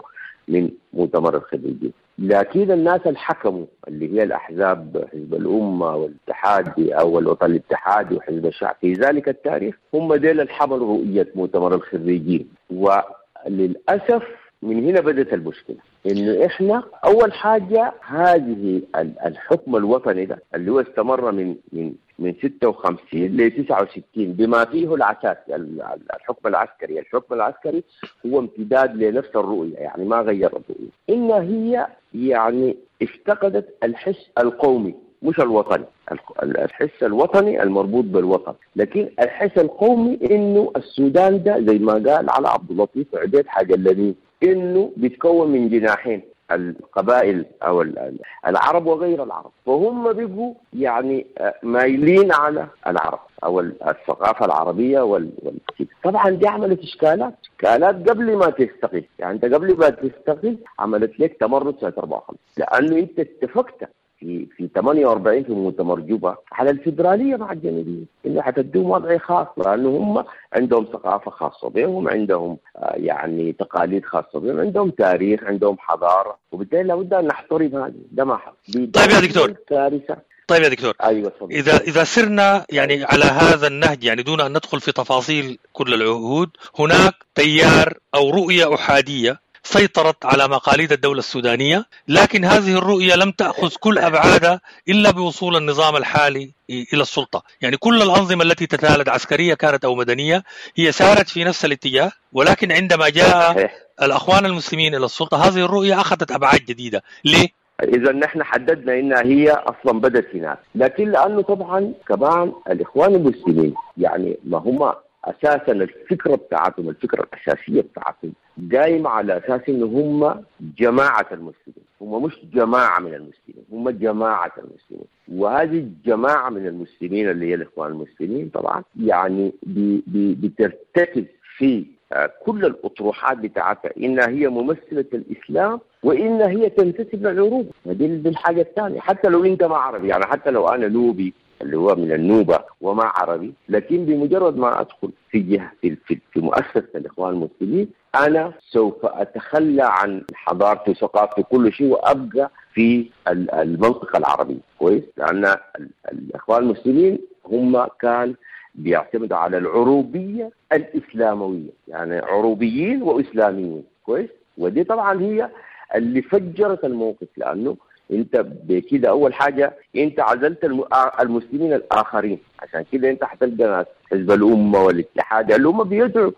من مؤتمر الخريجين. لكن الناس اللي حكموا اللي هي الأحزاب حزب الأمة والاتحادي أو الوطن الاتحادي وحزب الشعب في ذلك التاريخ هم ديل اللي حملوا رؤية مؤتمر الخريجين. وللأسف من هنا بدأت المشكلة، إنه إحنا أول حاجة هذه الحكم الوطني ده اللي هو استمر من من من ستة وخمسين ل تسعة وستين بما فيه العساكر، الحكم العسكري، الحكم العسكري هو امتداد لنفس الرؤية، يعني ما غير الرؤية، إن هي يعني افتقدت الحس القومي مش الوطني، الحس الوطني المربوط بالوطن، لكن الحس القومي إنه السودان ده زي ما قال على عبد اللطيف عبيد حاجة الذي إنه بيتكون من جناحين، القبائل أو العرب وغير العرب، فهم بيبقوا يعني مايلين على العرب أو الثقافة العربية وال... طبعا دي عملت إشكالات، إشكالات قبل ما تستقل، يعني أنت قبل ما تستقل عملت لك تمرد سنة أربعة وخمسين، لأنه أنت اتفقت في في ثمانية وأربعين في مؤتمر جوبا على الفدرالية مع الجنوبيين، انه حتدوم وضع خاص لانه هم عندهم ثقافة خاصة بهم، عندهم يعني تقاليد خاصة بهم، عندهم تاريخ، عندهم حضارة، وبالتالي لابد ان نحترم هذه. ده ما حصل. طيب يا دكتور، كارثة. طيب يا دكتور، ايوه صدق. اذا اذا سرنا يعني على هذا النهج، يعني دون ان ندخل في تفاصيل كل العهود، هناك تيار او رؤية احادية سيطرت على مقاليد الدولة السودانية، لكن هذه الرؤية لم تأخذ كل أبعادها إلا بوصول النظام الحالي إلى السلطة. يعني كل الأنظمة التي تتالت عسكرية كانت أو مدنية هي سارت في نفس الاتجاه، ولكن عندما جاء الأخوان المسلمين إلى السلطة هذه الرؤية أخذت أبعاد جديدة. ليه؟ إذا نحن حددنا إنها هي أصلا بدت هناك، لكن لأنه طبعا كمان الإخوان المسلمين يعني ما هم أساسا الفكرة بتاعتهم، الفكرة الأساسية بتاعتهم قايمة على أساس إنه هم جماعة المسلمين، هم مش جماعة من المسلمين، هم جماعة المسلمين. وهذه الجماعة من المسلمين اللي هي الإخوان المسلمين طبعا يعني بي بي بترتكز في كل الأطروحات بتاعتها إنها هي ممثلة الإسلام وإن هي تنتسب للعروبة. دي الحاجة الثانية، حتى لو أنت ما عربي، يعني حتى لو أنا نوبي اللي هو من النوبة وما عربي، لكن بمجرد ما أدخل في جهة في, في, في مؤسسة الإخوان المسلمين أنا سوف أتخلى عن حضارتي وثقافتي وكل شيء وأبقى في المنطقة العربية. كويس؟ لأن الإخوان المسلمين هم كان بيعتمدوا على العروبية الإسلاموية، يعني عروبيين وإسلاميين. كويس؟ ودي طبعا هي اللي فجرت الموقف، لأنه انت بكده اول حاجة انت عزلت المسلمين الاخرين، عشان كده انت حتلقى ناس حزب الامة والاتحاد اللي هم بيدعوا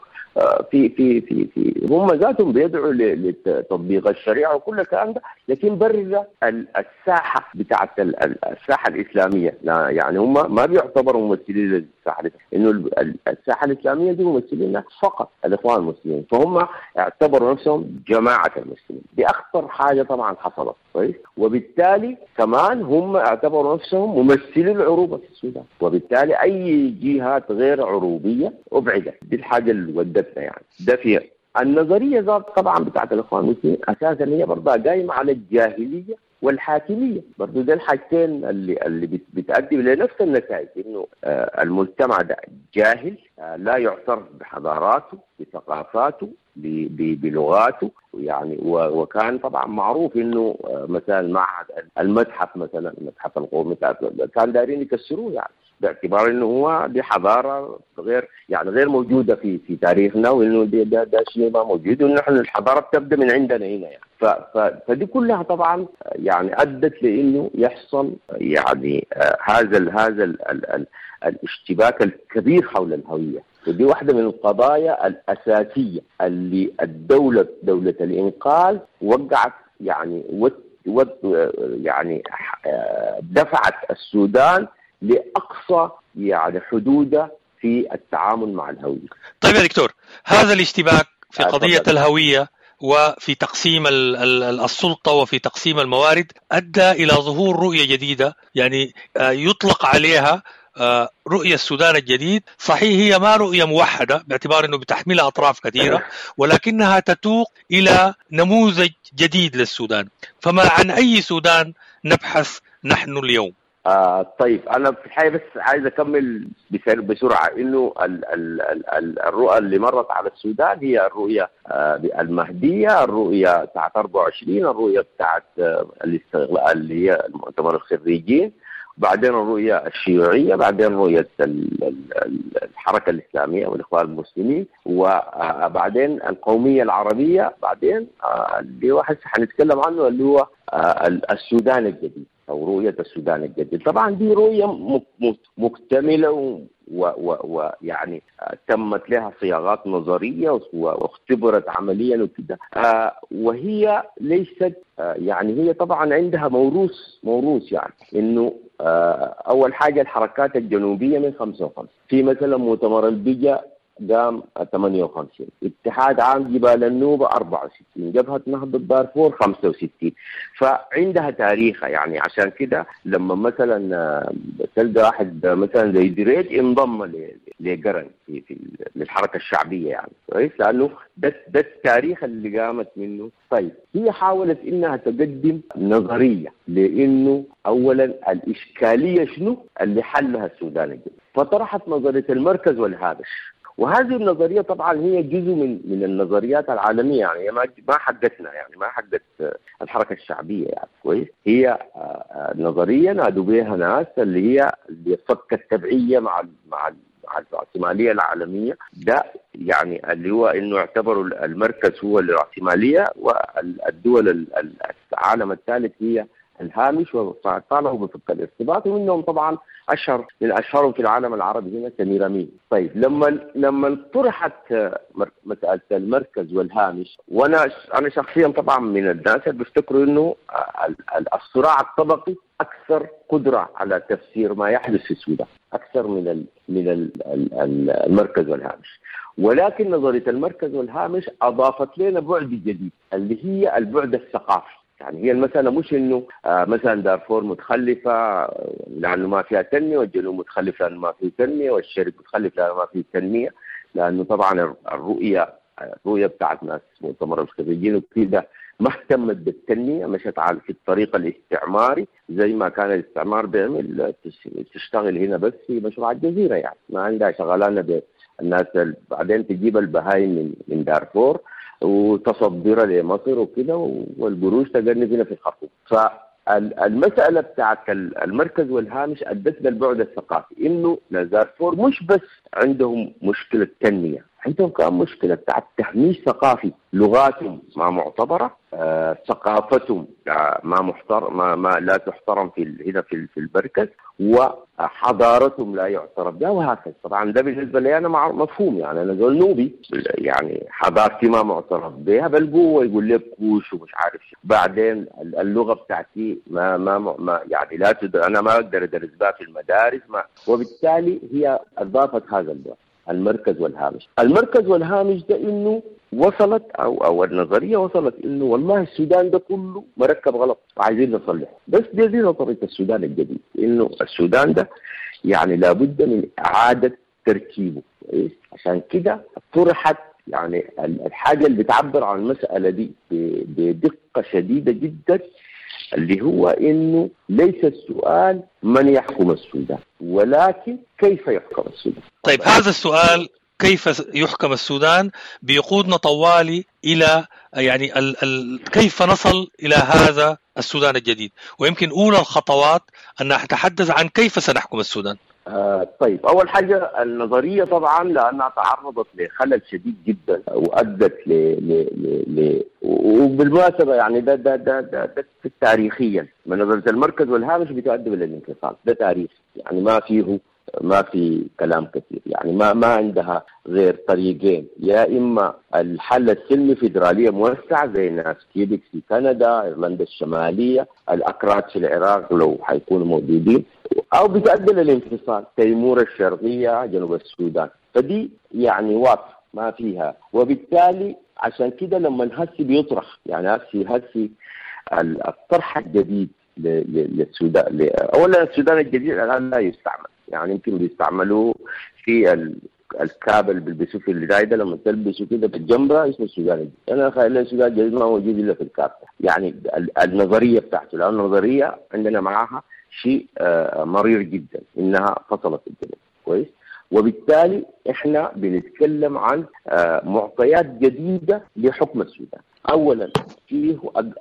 في في في في هم ذاتهم بيدعوا لتطبيق الشريعة وكل الكلام ده، لكن برا الساحة بتاعت الساحة الاسلامية، لا يعني هم ما بيعتبروا ممثلين للساحه، انه الساحة الاسلامية دي ممثلين فقط الاخوان المسلمين، فهم اعتبروا نفسهم جماعة المسلمين. دي اخطر حاجة طبعا حصلت. كويس؟ وبالتالي كمان هم اعتبروا نفسهم ممثلين العروبة في السودان، وبالتالي اي جهات غير عروبيه ابعدت. دي الحاجة اللي ودتنا يعني ده فيها النظرية ذات طبعا بتاعت الاخوان المسلمين اساسا هي برضه قايمة على الجاهلية والحاكميه، برضه ده الحاجتين اللي اللي بتؤدي لنفس النتائج، انه المجتمع ده جاهل لا يعترف بحضاراته، بثقافاته، بلغاته يعني. وكان طبعا معروف انه مثلا معهد المتحف مثلا المتحف القومي كان دايرين يكسروه يعني باعتبار انه هو دي حضارة غير يعني غير موجودة في في تاريخنا، وانه ده ده, ده شيء ما موجود، وانه نحن الحضارة بتبدا من عندنا هنا يعني. ف ف فدي كلها طبعا يعني ادت لانه يحصل يعني هذا ال هذا ال ال الاشتباك الكبير حول الهوية. ودي واحدة من القضايا الاساسية اللي الدولة دولة الانقاذ وقعت يعني وت وت يعني دفعت السودان لأقصى يعني حدوده في التعامل مع الهوية. طيب يا دكتور، هذا الاشتباك في قضية الهوية وفي تقسيم السلطة وفي تقسيم الموارد أدى إلى ظهور رؤية جديدة يعني يطلق عليها رؤية السودان الجديد. صحيح هي ما رؤية موحدة باعتبار أنه بتحملها أطراف كثيرة، ولكنها تتوق إلى نموذج جديد للسودان. فما عن أي سودان نبحث نحن اليوم؟ آه طيب، أنا في الحقيقة بس عايز أكمل بسرعة إنه ال ال ال الرؤى اللي مرت على السودان هي الرؤية آه المهدية، الرؤية بتاعت أربعة وعشرين، الرؤية بتاعت آه الاستغلال اللي هي المؤتمر الخريجين، بعدين الرؤية الشيوعية، بعدين رؤية الحركة الإسلامية والإخوان المسلمين، وبعدين القومية العربية، بعدين اللي هو حنتكلم عنه اللي هو السودان الجديد أو رؤية السودان الجديد. طبعا دي رؤية مكتملة ويعني تمت لها صياغات نظرية واختبرت عمليا وكده، وهي ليست يعني هي طبعا عندها موروث موروث يعني إنه أول حاجة الحركات الجنوبية من خمسة وخمسين، في مثلا مؤتمر البجا قام ثمانية وخمسين، اتحاد عام جبال النوبة أربعة وستين، جبهة نهضة دارفور خمسة وستين، فعندها تاريخها يعني. عشان كده لما مثلا تلقى واحد مثلا زي دريد انضم لقرن في في للحركة الشعبية يعني كويس، لأنه ده ده التاريخ اللي قامت منه. طيب هي حاولت إنها تقدم نظرية لأنه أولا الإشكالية شنو اللي حلها السودان الجديد، فطرحت نظرية المركز والهامش. وهذه النظرية طبعا هي جزء من من النظريات العالمية يعني، ما ما حقتنا يعني، ما حقت الحركة الشعبية يعني كويس. هي نظرية نادوا بها ناس اللي هي اللي فك التبعية مع مع مع الرأسمالية العالمية، ده يعني اللي هو انه اعتبروا المركز هو الرأسمالية والدول العالم الثالث هي الهامش، وطالبوا بفك الارتباط، ومنهم طبعا اشهر من اشهرهم في العالم العربي هنا سمير امين. طيب لما لما طرحت مسالة المركز والهامش، وانا انا شخصيا طبعا من الناس اللي بيفتكروا انه الصراع الطبقي اكثر قدره على تفسير ما يحدث في السودان اكثر من ال من ال المركز والهامش، ولكن نظرية المركز والهامش اضافت لنا بعد جديد اللي هي البعد الثقافي. يعني هي المسألة مش إنه آه مثلا دارفور متخلفة لأنه ما فيها تنمية، والجنوب متخلف لأنه ما فيه تنمية، والشرق متخلف لأنه ما فيه تنمية، لأنه طبعا الرؤية الرؤية بتاعت ناس مؤتمر الخريجين وكده ما اهتمت بالتنمية، مشت على في الطريق الاستعماري زي ما كان الاستعمار بيعمل، تشتغل هنا بس في مشروع الجزيرة يعني، ما عندها شغلانة بالناس، بعدين تجيب البهايم من من دارفور وتصدرها لمصر وكده، والقروش تجنب هنا في الخرطوم. فالمسألة بتاعت المركز والهامش أدت للبعد الثقافي، إنه دارفور مش بس عندهم مشكلة تنمية، عندهم كمان مشكلة بتاعت تهميش ثقافي، لغاتهم ما معتبرة، آه، ثقافتهم ما محترم، ما, ما لا تحترم في هنا في في المركز، وحضارتهم لا يعترف بها وهكذا. طبعا ده بالنسبة لي أنا مفهوم يعني، أنا زول نوبي يعني حضارتي ما معترف بها، بل جوه يقول لك كوش ومش عارف شو. بعدين اللغة بتاعتي ما ما ما يعني لا تدر، أنا ما أقدر أدرس بها في المدارس ما، وبالتالي هي أضافت هذا البعد المركز والهامش. المركز والهامش ده إنه وصلت أو أو النظرية وصلت إنه والله السودان ده كله مركب غلط وعايزين نصلحه، بس دي دي نظرية السودان الجديد، إنه السودان ده يعني لابد من إعادة تركيبه. عشان كده طرحت يعني الحاجة اللي بتعبر عن المسألة دي بدقة شديدة جدا اللي هو إنه ليس السؤال من يحكم السودان، ولكن كيف يحكم السودان. طيب هذا السؤال كيف يحكم السودان بيقودنا طوالي إلى يعني ال ال كيف نصل إلى هذا السودان الجديد، ويمكن أولى الخطوات أن نتحدث عن كيف سنحكم السودان. آه طيب أول حاجة النظرية طبعا لأنها تعرضت لخلل شديد جدا وأدت ل ل ل وبالمناسبة يعني ده ده ده ده, ده تاريخيا من نظرية المركز والهامش بتؤدي للانفصال، ده تاريخ يعني ما فيه ما في كلام كثير، يعني ما ما عندها غير طريقين، يا إما الحل السلمي فيدرالية موسعة زي ناس كيبك في كندا، إيرلندا الشمالية، الأكراد في العراق لو حيكونوا موجودين، أو بتؤدي للانفصال تيمور الشرقية جنوب السودان. فدي يعني واضح ما فيها، وبالتالي عشان كده لما هسي بيطرح يعني هسي هسي الطرح الجديد للسودان، أولا السودان الجديد الآن لا يستعمل، يعني يمكن بيستعملوه في الكابل اللي بيلبسوه في الرايده لما تلبسه كده بالجنبه اسمه السودان الجديد. انا خلي السودان الجديد ما موجود الا في الكابل، يعني النظرية بتاعته، لان النظرية عندنا معاها شيء مرير جدا انها فصلت الجنوب كويس، وبالتالي احنا بنتكلم عن معطيات جديدة لحكم السودان. اولا فيه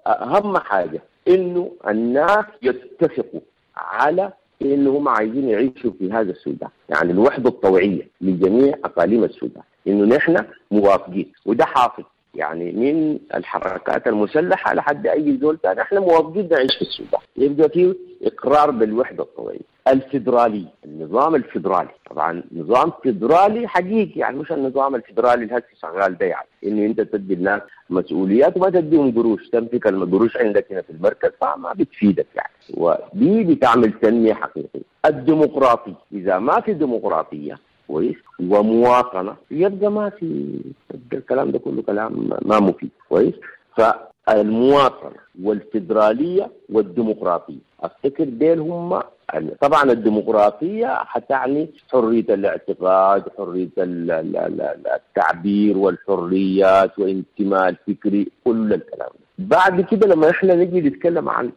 اهم حاجة انه الناس يتفقوا على إنهم عايزين يعيشوا في هذا السودان، يعني الوحدة الطوعية لجميع أقاليم السودان، إنه نحن موافقين، وده حافظ يعني من الحركات المسلحة لحد أي زول ثاني، احنا موافقين نعيش في السودان، يبقى فيه إقرار بالوحدة الطوعية. الفيدرالي، النظام الفيدرالي، طبعا نظام فيدرالي حقيقي، يعني مش النظام الفيدرالي اللي هسه شغال ده، يعني إنه أنت تدي الناس مسؤوليات وما تديهم قروش، تمسك القروش عندك هنا في المركز فما بتفيدك يعني، ودي بتعمل تنمية حقيقية. الديمقراطي، إذا ما في ديمقراطية كويس ومواطنة يبقى ما في الكلام ده كله كلام ما مفيد كويس. فالمواطنة والفيدرالية والديمقراطية أفتكر ديل هم. طبعا الديمقراطية حتعني حرية الاعتقاد، حرية التعبير والحريات وانتماء الفكري، كل الكلام ده. بعد كده لما احنا نجي نتكلم عن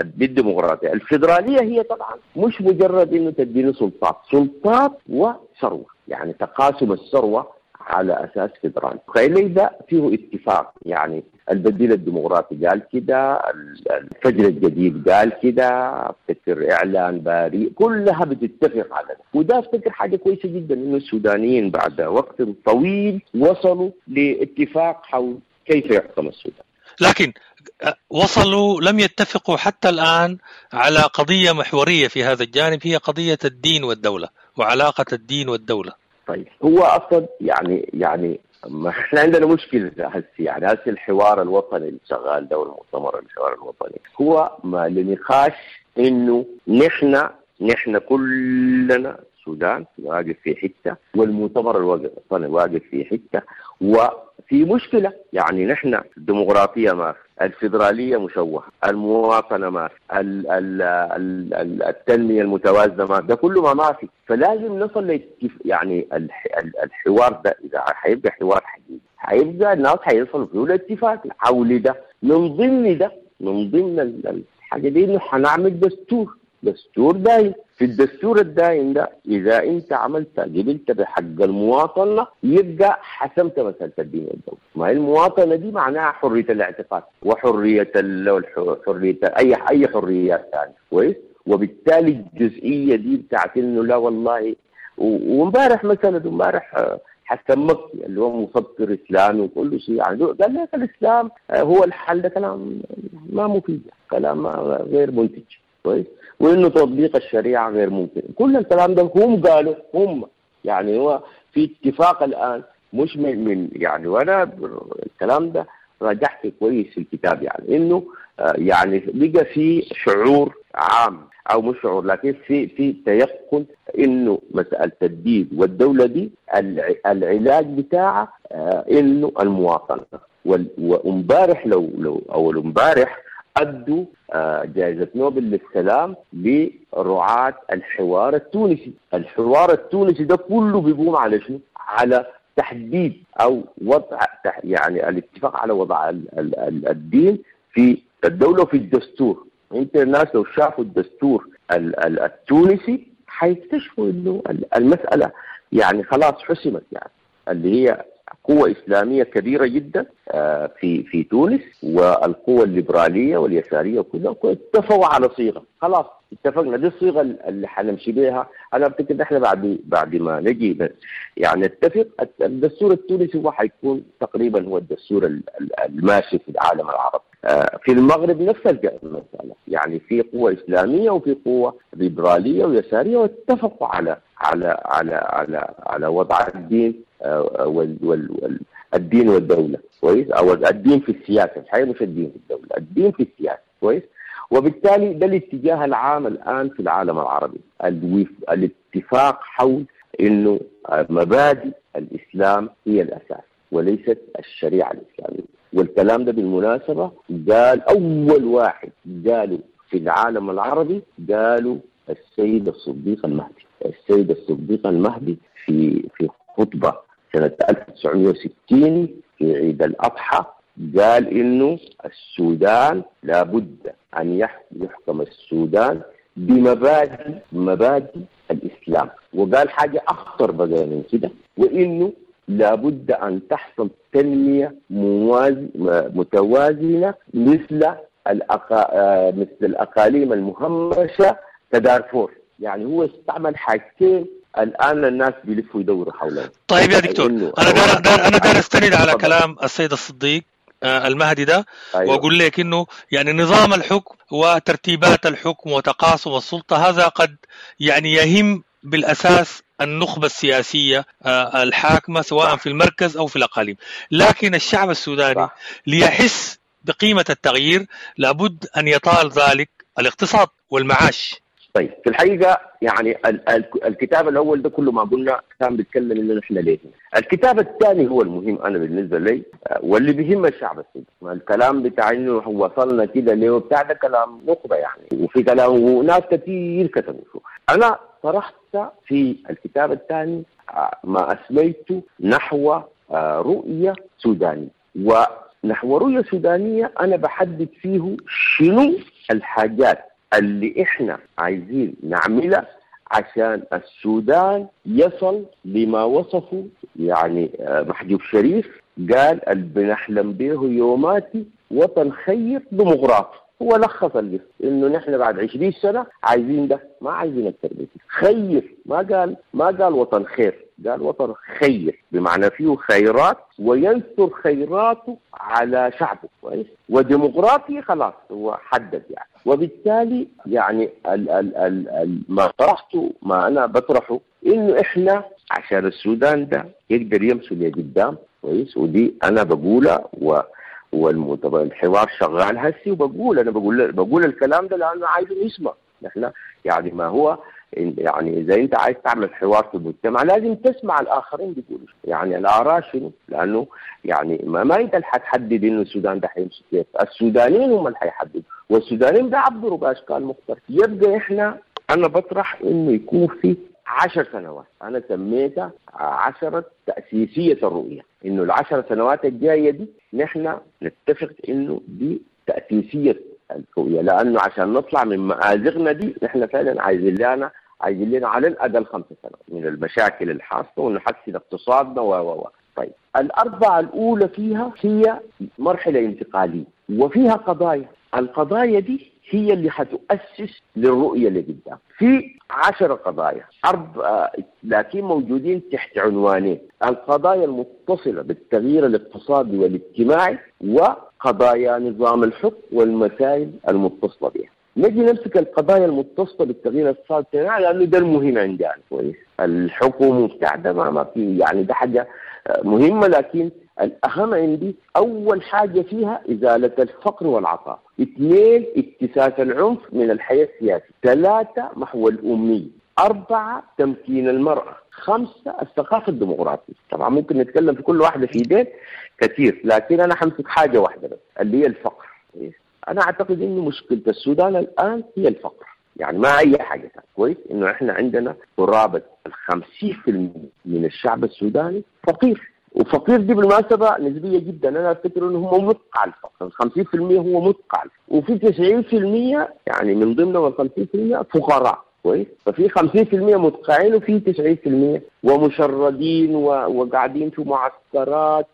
الديمقراطية، الفيدرالية هي طبعا مش مجرد انه تديني سلطات، سلطات وثروة، يعني تقاسم الثروة على أساس فيدرالي. خلي ده فيه اتفاق، يعني البديل الديمقراطي قال كده، الفجر الجديد قال كده، افتكر إعلان باريس، كلها بتتفق على ده. وده افتكر حاجة كويسة جدا إنه السودانيين بعد وقت طويل وصلوا لاتفاق حول كيف يحكم السودان. لكن وصلوا لم يتفقوا حتى الآن على قضية محورية في هذا الجانب، هي قضية الدين والدولة وعلاقة الدين والدولة. طيب هو أصلا يعني يعني ما احنا عندنا مشكلة هسي، يعني هسي الحوار الوطني اللي شغال ده والمؤتمر الحوار الوطني هو ما لنقاش إنه نحن نحن كلنا السودان واقف في حتة والمؤتمر الوطني واقف في حتة، وفي مشكلة. يعني نحن الديمقراطية ما في، الفيدرالية مشوهة، المواطنة ما في، ال ال ال التنمية المتوازنة ما في، ده كله ما ما في. فلازم نصل لاتفاق، يعني الحوار ده إذا حيبقى حوار حقيقي حيبقى الناس حيصلوا فيه لاتفاق حول ده. من ضمن ده، من ضمن الحاجة دي إنه حنعمل دستور، دستور دايم. في الدستور الدائم ده إذا أنت عملت قبلت بحق المواطنة يبقى حسمت مسألة الدين والدولة. ما هي المواطنة دي معناها حرية الاعتقاد وحرية ال حرية أي أي حريات ثانية كويس. وبالتالي الجزئية دي بتاعت إنه لا والله، وامبارح مثلا امبارح حسن مكي اللي هو مفكر إسلامي وكل شيء يعني قال لك الإسلام هو الحل، ده كلام ما مفيد، كلام غير منتج كويس، وإنه تطبيق الشريعة غير ممكن. كل الكلام ده هم قالوا هم، يعني هو في اتفاق الآن مش من, من يعني، وأنا الكلام ده راجعت كويس في الكتاب، يعني إنه يعني بقى في شعور عام أو مش شعور لكن في في تيقن إنه مسألة الدين والدولة دي العلاج بتاعها إنه المواطنة. وامبارح لو لو أول امبارح أدوا جائزة نوبل للسلام لرعاة الحوار التونسي. الحوار التونسي ده كله بيقوم على شنو؟ على تحديد أو وضع يعني الاتفاق على وضع الدين في الدولة وفي الدستور. انت الناس لو شافوا الدستور التونسي حيكتشفوا انه المسالة يعني خلاص حسمت، يعني اللي هي قوة إسلامية كبيرة جدا في في تونس، والقوة الليبرالية واليسارية وكلها اتفقوا على صيغة، خلاص اتفقنا دي الصيغة اللي حنمشي بها. أنا أفتكر إحنا بعد بعد ما نجي يعني نتفق، الدستور التونسي هو حيكون تقريبا هو الدستور الماشي في العالم العربي. في المغرب نفس المسألة، يعني في قوة إسلامية وفي قوة ليبرالية ويسارية، واتفقوا على على على على على وضع الدين وال وال الدين والدولة، كويس، أو الدين في السياسة، الحقيقة مش الدين في الدولة، الدين في السياسة، كويس. وبالتالي ده الاتجاه العام الآن في العالم العربي، الاتفاق حول إنه مبادئ الإسلام هي الأساس وليست الشريعة الإسلامية. والكلام ده بالمناسبة قال أول واحد قالوا في العالم العربي، قالوا السيد الصديق المهدي. السيد الصديق المهدي في في خطبة سنة ألف وتسعمائة وستين في عيد الأضحى قال إنه السودان لابد أن يحكم السودان بمبادئ مبادئ الإسلام، وقال حاجة أخطر بقى من كده، وإنه لابد أن تحصل تنمية موازي متوازنة مثل الأقا... مثل الأقاليم المهمشة كدارفور. يعني هو استعمل حاجتين الآن الناس بيلفوا يدوروا حولهم. طيب يا دكتور، أنا دار دار أنا دار أستند على كلام السيد الصديق المهدي ده. أيوة. وأقول لك إنه يعني نظام الحكم وترتيبات الحكم وتقاسم السلطة هذا قد يعني يهم بالأساس النخبة السياسية الحاكمة سواء في المركز أو في الأقاليم، لكن الشعب السوداني ليحس بقيمة التغيير لابد أن يطال ذلك الاقتصاد والمعاش. طيب في الحقيقة يعني ال- ال- الكتاب الأول ده كله ما قلنا كان بيتكلم إنه نحن ليه. الكتاب الثاني هو المهم أنا بالنسبة لي واللي بيهم الشعب السوداني. الكلام بتاع إنه وصلنا كده ليه وبتاع ده كلام نخبة يعني، وفي كلام وناس كثير كتبوا. أنا طرحت في الكتاب الثاني ما أسميته نحو رؤية سودانية، ونحو رؤية سودانية أنا بحدد فيه شنو الحاجات اللي إحنا عايزين نعملها عشان السودان يصل لما وصفه يعني محجوب شريف، قال اللي بنحلم به يوماتي وطن خير ديمقراطي. هو لخص القصة إنه نحن بعد عشرين سنة عايزين ده، ما عايزين أكثر من كده. خير، ما قال ما قال وطن خير، قال وطن خير بمعنى فيه خيرات وينثر خيراته على شعبه، كويس، وديمقراطي خلاص هو حدد يعني. وبالتالي يعني ال ال ال ال ما طرحته ما أنا بطرحه إنه إحنا عشان السودان ده يقدر يمشي لقدام، كويس، ودي أنا بقولها و والحوار شغال هسي، وبقول انا بقول بقول الكلام ده لانه عايز يسمع. نحن يعني ما هو يعني اذا انت عايز تعمل حوار في المجتمع لازم تسمع الاخرين بيقولوا يعني الاراء شنو، لانه يعني ما, ما انت اللي حتحدد انه السودان ده حيمشي كيف، السودانيين هم اللي حيحددوا، والسودانيين بيعبروا باشكال مختلفة. يبقى احنا انا بطرح انه يكون في عشر سنوات، أنا سميتها عشرة تأسيسية الرؤية، إنه العشر سنوات الجاية دي نحن نتفق إنه دي تأسيسية الرؤية، لأنه عشان نطلع من مآزقنا دي نحن فعلا عايزين لنا عايزين لنا على الأقل خمس سنوات من المشاكل الحاصلة ونحسن اقتصادنا و و و طيب الأربعة الأولى فيها هي مرحلة انتقالية وفيها قضايا، القضايا دي هي اللي حتؤسس للرؤية اللي قدام. في عشر قضايا أربعة لكن موجودين تحت عنوانين: القضايا المتصلة بالتغيير الاقتصادي والاجتماعي، وقضايا نظام الحكم والمسائل المتصلة بها. نجي نمسك القضايا المتصلة بالتغيير الاقتصادي والاجتماعي لأنه ده المهم عندنا، كويس. الحكم وبتاع ده ما في يعني ده حاجة مهمة، لكن الأهم عندي أول حاجة فيها إزالة الفقر والعطاء، اثنين اكتساس العنف من الحياة السياسية، ثلاثة محو الأمية، أربعة تمكين المرأة، خمسة الثقافة الديمقراطية. طبعا ممكن نتكلم في كل واحدة في دين كثير، لكن أنا حمسك حاجة واحدة بس اللي هي الفقر. أنا أعتقد إنه مشكلة السودان الآن هي الفقر، يعني ما أي حاجة ثانية. كويس إنه إحنا عندنا قرابة الخمسين في المئة من الشعب السوداني فقير. وفقير دي بالمناسبة نسبيه جدا، انا افتكر انه هم مدقع الفقر، خمسين بالمية هو مدقع، وفي تسعين بالمية يعني من ضمنهم ال خمسين بالمية فقراء. كويس، ففي خمسين بالمية مدقعين وفي تسعين بالمية ومشردين وقاعدين في معسكرات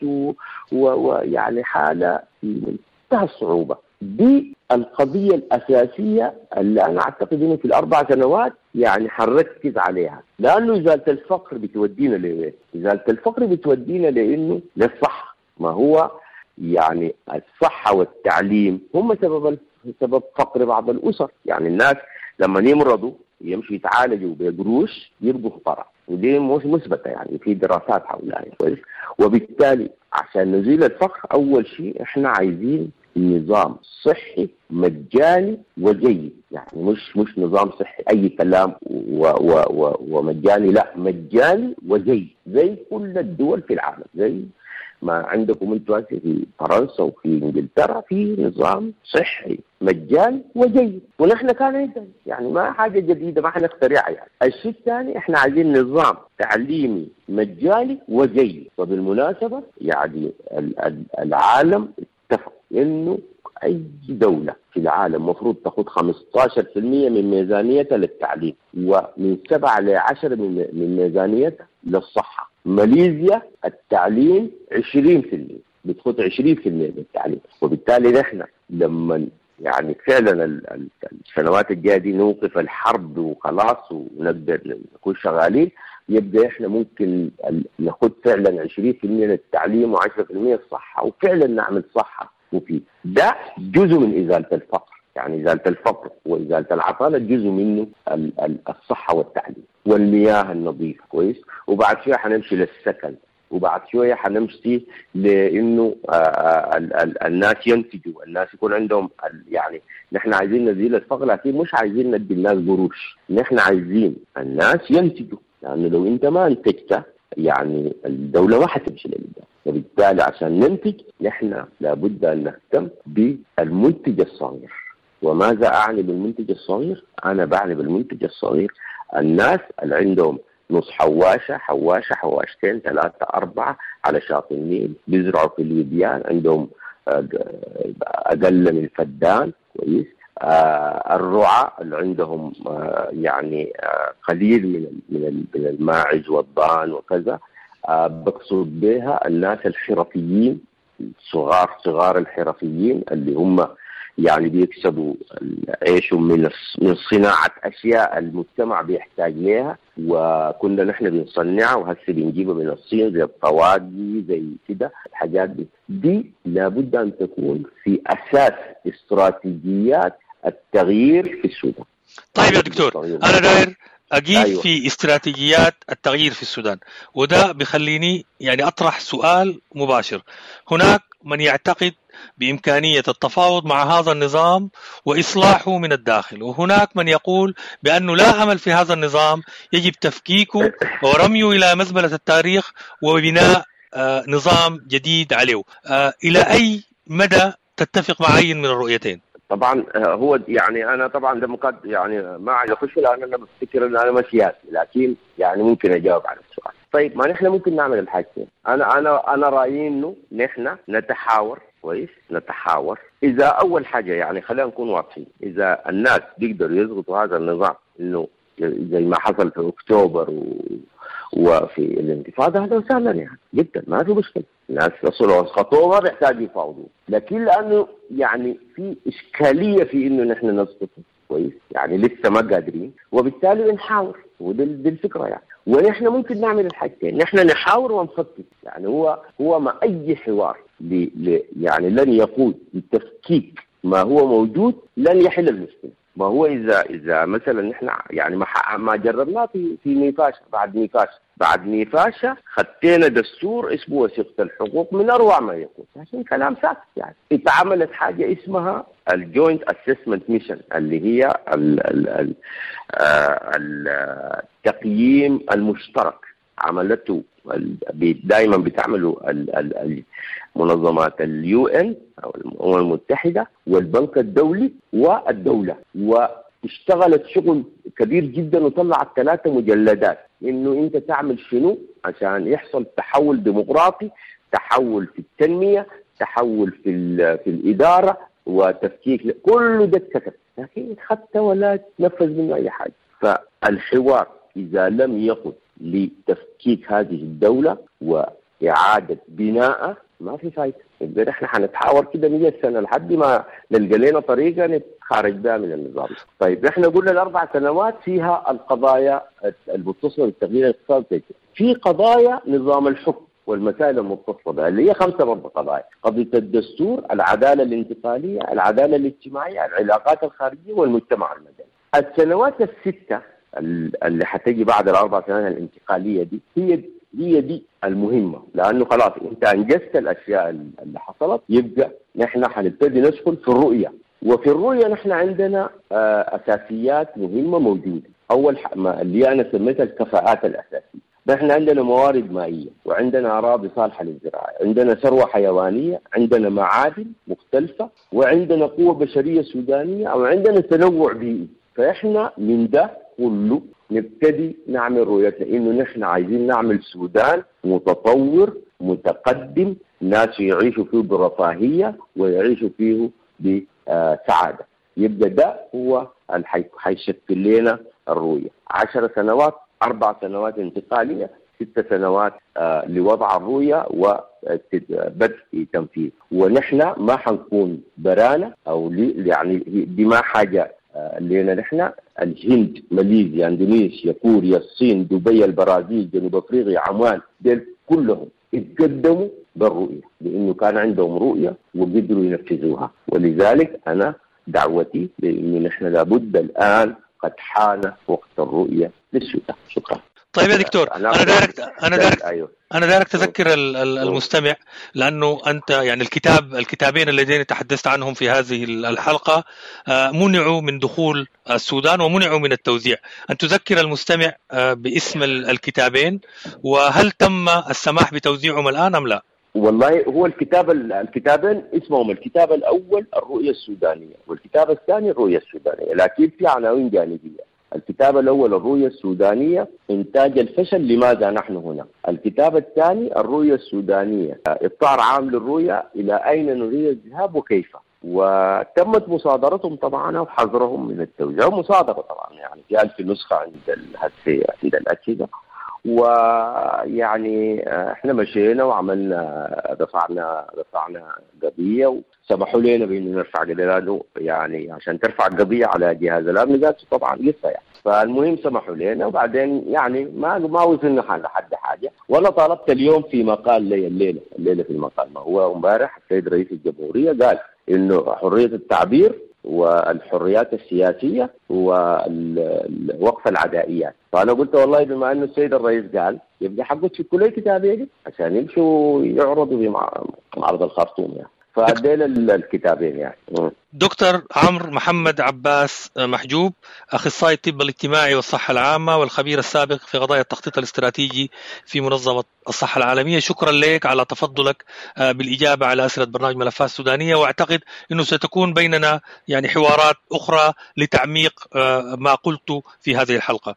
ويعني حاله في منتهى الصعوبة. دي القضية الأساسية اللي أنا أعتقد إنه في الأربع سنوات يعني حنركز عليها، لأنه إزالة الفقر بتودينا لوين؟ إزالة الفقر بتودينا لإنه للصحة. ما هو يعني الصحة والتعليم هم سبب سبب فقر بعض الأسر، يعني الناس لما يمرضوا يمشوا يتعالجوا بقروش يبقوا فقراء، ودي مش مثبتة يعني في دراسات حولها. كويس، وبالتالي عشان نزيل الفقر أول شيء إحنا عايزين نظام صحي مجاني وجيد، يعني مش مش نظام صحي اي كلام و و و ومجاني، لا مجاني وجيد زي كل الدول في العالم، زي ما عندكم انتم في فرنسا وفي انجلترا في نظام صحي مجاني وجيد، ونحن كان عندنا يعني ما حاجة جديدة ما حنخترعها يعني. الشيء الثاني احنا عايزين نظام تعليمي مجاني وجيد، وبالمناسبة يعني العالم اتفق انه اي دولة في العالم مفروض تاخذ خمسة عشر بالمية من ميزانيتها للتعليم، ومن سبعة ل عشرة من ميزانيتها للصحة. ماليزيا التعليم عشرين بالمية، بتاخذ عشرين بالمية من التعليم. وبالتالي نحن لما يعني فعلا السنوات الجاية دي نوقف الحرب وخلاص ونقدر نكون شغالين، يبقى احنا ممكن ناخذ فعلا عشرين بالمية للتعليم وعشرة بالمية للصحة، وفعلا نعمل صحة وفي ده جزء من ازالة الفقر. يعني ازالة الفقر وازالة العطاله جزء منه الصحة والتعليم والمياه النظيفة. كويس، وبعد شوية حنمشي للسكن، وبعد شوية حنمشي لانه الناس ينتجوا، الناس يكون عندهم يعني نحن عايزين نزيل الفقر، لكن مش عايزين ندي الناس قروش، نحن عايزين الناس ينتجوا، لانه يعني لو انت ما انتجت يعني الدولة ما حتمشي لقدام. وبالتالي عشان ننتج نحن لابد ان نهتم بالمنتج الصغير. وماذا اعني بالمنتج الصغير؟ انا بعني بالمنتج الصغير الناس اللي عندهم نص حواشه، حواشه، حواشتين، ثلاثة، اربعة على شاطئ النيل، بيزرعوا في الوديان، عندهم اقل من فدان. كويس، آه الرعاة اللي عندهم آه يعني آه قليل من من من الماعز والضان وكذا. آه بقصد بها الناس الحرفيين، صغار صغار الحرفيين اللي هم يعني بيكسبوا عيشهم من من صناعة اشياء المجتمع بيحتاج لها، وكنا نحن بنصنعها وهسه بنجيبها من الصين زي الطواقي زي كده الحاجات دي. دي لابد ان تكون في اساس استراتيجيات التغيير في السودان. طيب يا دكتور، انا داير أقيف أيوة. في استراتيجيات التغيير في السودان، وده بخليني يعني أطرح سؤال مباشر. هناك من يعتقد بإمكانية التفاوض مع هذا النظام وإصلاحه من الداخل، وهناك من يقول بأنه لا أمل في هذا النظام، يجب تفكيكه ورميه إلى مزبلة التاريخ وبناء نظام جديد عليه. إلى أي مدى تتفق مع أي من الرؤيتين؟ طبعا هو يعني انا طبعا ده مقد يعني ما عايز اخش لان انا بفتكر ان انا ما سياسي، لكن يعني ممكن اجاوب على السؤال. طيب ما نحن ممكن نعمل الحاجتين. انا انا انا رايي انه نحن نتحاور. كويس، نتحاور. اذا اول حاجة يعني خلينا نكون واضحين، اذا الناس بيقدروا يضغطوا هذا النظام انه زي ما حصل في اكتوبر و... وفي الانتفاضة، هذا وسهلا يعني جدا ما في مشكلة، الناس يصلوا اسقطوه ما بيحتاجوا يفاوضوا، لكن لانه يعني في اشكالية في انه نحن نسقطه. كويس، يعني لسه ما قادرين، وبالتالي بنحاور، ودي دي الفكرة يعني. ونحن ممكن نعمل الحاجتين، نحن نحاور ونفكك. يعني هو هو ما اي حوار ل... ل... يعني لن يقود لتفكيك ما هو موجود لن يحل المشكلة. ما هو اذا اذا مثلا نحن يعني ما ما جربناه في في نيفاشا، بعد نيفاشا بعد نيفاشا خدينا دستور اسمه وثيقة الحقوق من اروع ما يكون، عشان كلام ساكت يعني. اتعملت حاجة اسمها ال Joint Assessment Mission اللي هي ال ال ال التقييم المشترك، عملته دائما بتعمله منظمات ال UN او الامم المتحدة والبنك الدولي والدولة، واشتغلت شغل كبير جدا وطلعت ثلاثة مجلدات انه انت تعمل شنو عشان يحصل تحول ديمقراطي، تحول في التنمية، تحول في في الإدارة وتفكيك، كل ده اتكتب لكن اتخطى ولا تنفذ منه أي حاجة. فالحوار إذا لم يقل لتفكيك هذه الدولة وإعادة بناءها ما في فايدة. يبقى نحن حنتحاور كده مية سنة لحد ما نلقى لنا طريقة نتخارج بها من النظام. طيب نحن قلنا الأربع سنوات فيها القضايا المتصلة بالتغيير الاقتصادي، في قضايا نظام الحكم والمسائل المتصلة بها اللي هي خمسة برضه قضايا: قضية الدستور، العدالة الانتقالية، العدالة الاجتماعية، العلاقات الخارجية، والمجتمع المدني. السنوات الستة اللي حتجي بعد الأربع سنوات الانتقالية دي هي هي دي المهمة، لأنه خلاص أنت أنجزت الأشياء اللي حصلت، يبقى نحن حنبتدي ندخل في الرؤية. وفي الرؤية نحن عندنا أساسيات مهمة موجودة. أول ما اللي أنا سميتها الكفاءات الأساسية. نحن عندنا موارد مائية، وعندنا أراضي صالحة للزراعة، عندنا ثروة حيوانية، عندنا معادن مختلفة، وعندنا قوة بشرية سودانية، أو عندنا تنوع بيئي. فإحنا من ده كله نبتدي نعمل رؤيتنا، إنه نحن عايزين نعمل سودان متطور متقدم، ناس يعيشوا فيه برفاهية ويعيشوا فيه بسعادة. يبقى ده هو اللي حيشكل لنا الرؤية. عشر سنوات، أربع سنوات انتقالية، ست سنوات آه لوضع الرؤية وبدء تنفيذ. ونحن ما حنكون برانا أو يعني دي ما حاجة آه لنا نحن. الهند، ماليزيا، اندونيسيا، كوريا، الصين، دبي، البرازيل، جنوب افريقيا، عمان، ديل كلهم اتقدموا بالرؤية لأنه كان عندهم رؤية وقدروا ينفذوها. ولذلك أنا دعوتي لأنه نحن لابد الآن قد حان وقت الرؤية للسودان. شكرا. طيب يا دكتور، أنا دارك أنا دارك أيوه. أنا دارك تذكر المستمع، لأنه أنت يعني الكتاب الكتابين اللذين تحدثت عنهم في هذه الحلقة منعوا من دخول السودان ومنعوا من التوزيع. أن تذكر المستمع باسم الكتابين، وهل تم السماح بتوزيعهم الآن أم لا؟ والله هو الكتاب الكتابين اسمهم الكتاب الأول الرؤية السودانية والكتاب الثاني الرؤية السودانية، لكن في عناوين جانبية. الكتاب الأول الرؤية السودانية إنتاج الفشل لماذا نحن هنا، الكتاب الثاني الرؤية السودانية إطار عام للرؤية إلى أين نريد الذهاب وكيف. وتمت مصادرتهم طبعا وحظرهم من التوزيع، مصادرة طبعا يعني في ألف نسخة عند عند الأجهزة. ويعني احنا مشينا وعملنا رفعنا رفعنا قضية وسمحوا لنا بانه نرفع قضية، لانه يعني عشان ترفع قضية على جهاز الامن ذاته طبعا قصة يعني. فالمهم سمحوا لنا، وبعدين يعني ما ما وصلنا لحد حاجة. وانا طالبت اليوم في مقال لي الليلة الليلة في المقال، ما هو امبارح السيد رئيس الجمهورية قال انه حرية التعبير والحريات السياسية ووقف العدائيات. فأنا قلت والله بما أنه السيد الرئيس قال يبقى حقه تفكوا لي كتابين عشان يمشوا يعرضوا في معرض الخرطوم يعني. فديل الكتابين يعني. دكتور عمرو محمد عباس محجوب، أخصائي الطب الاجتماعي والصحة العامة والخبير السابق في قضايا التخطيط الاستراتيجي في منظمة الصحة العالمية، شكرا لك على تفضلك بالإجابة على أسئلة برنامج ملفات سودانية، وأعتقد أنه ستكون بيننا يعني حوارات أخرى لتعميق ما قلت في هذه الحلقة.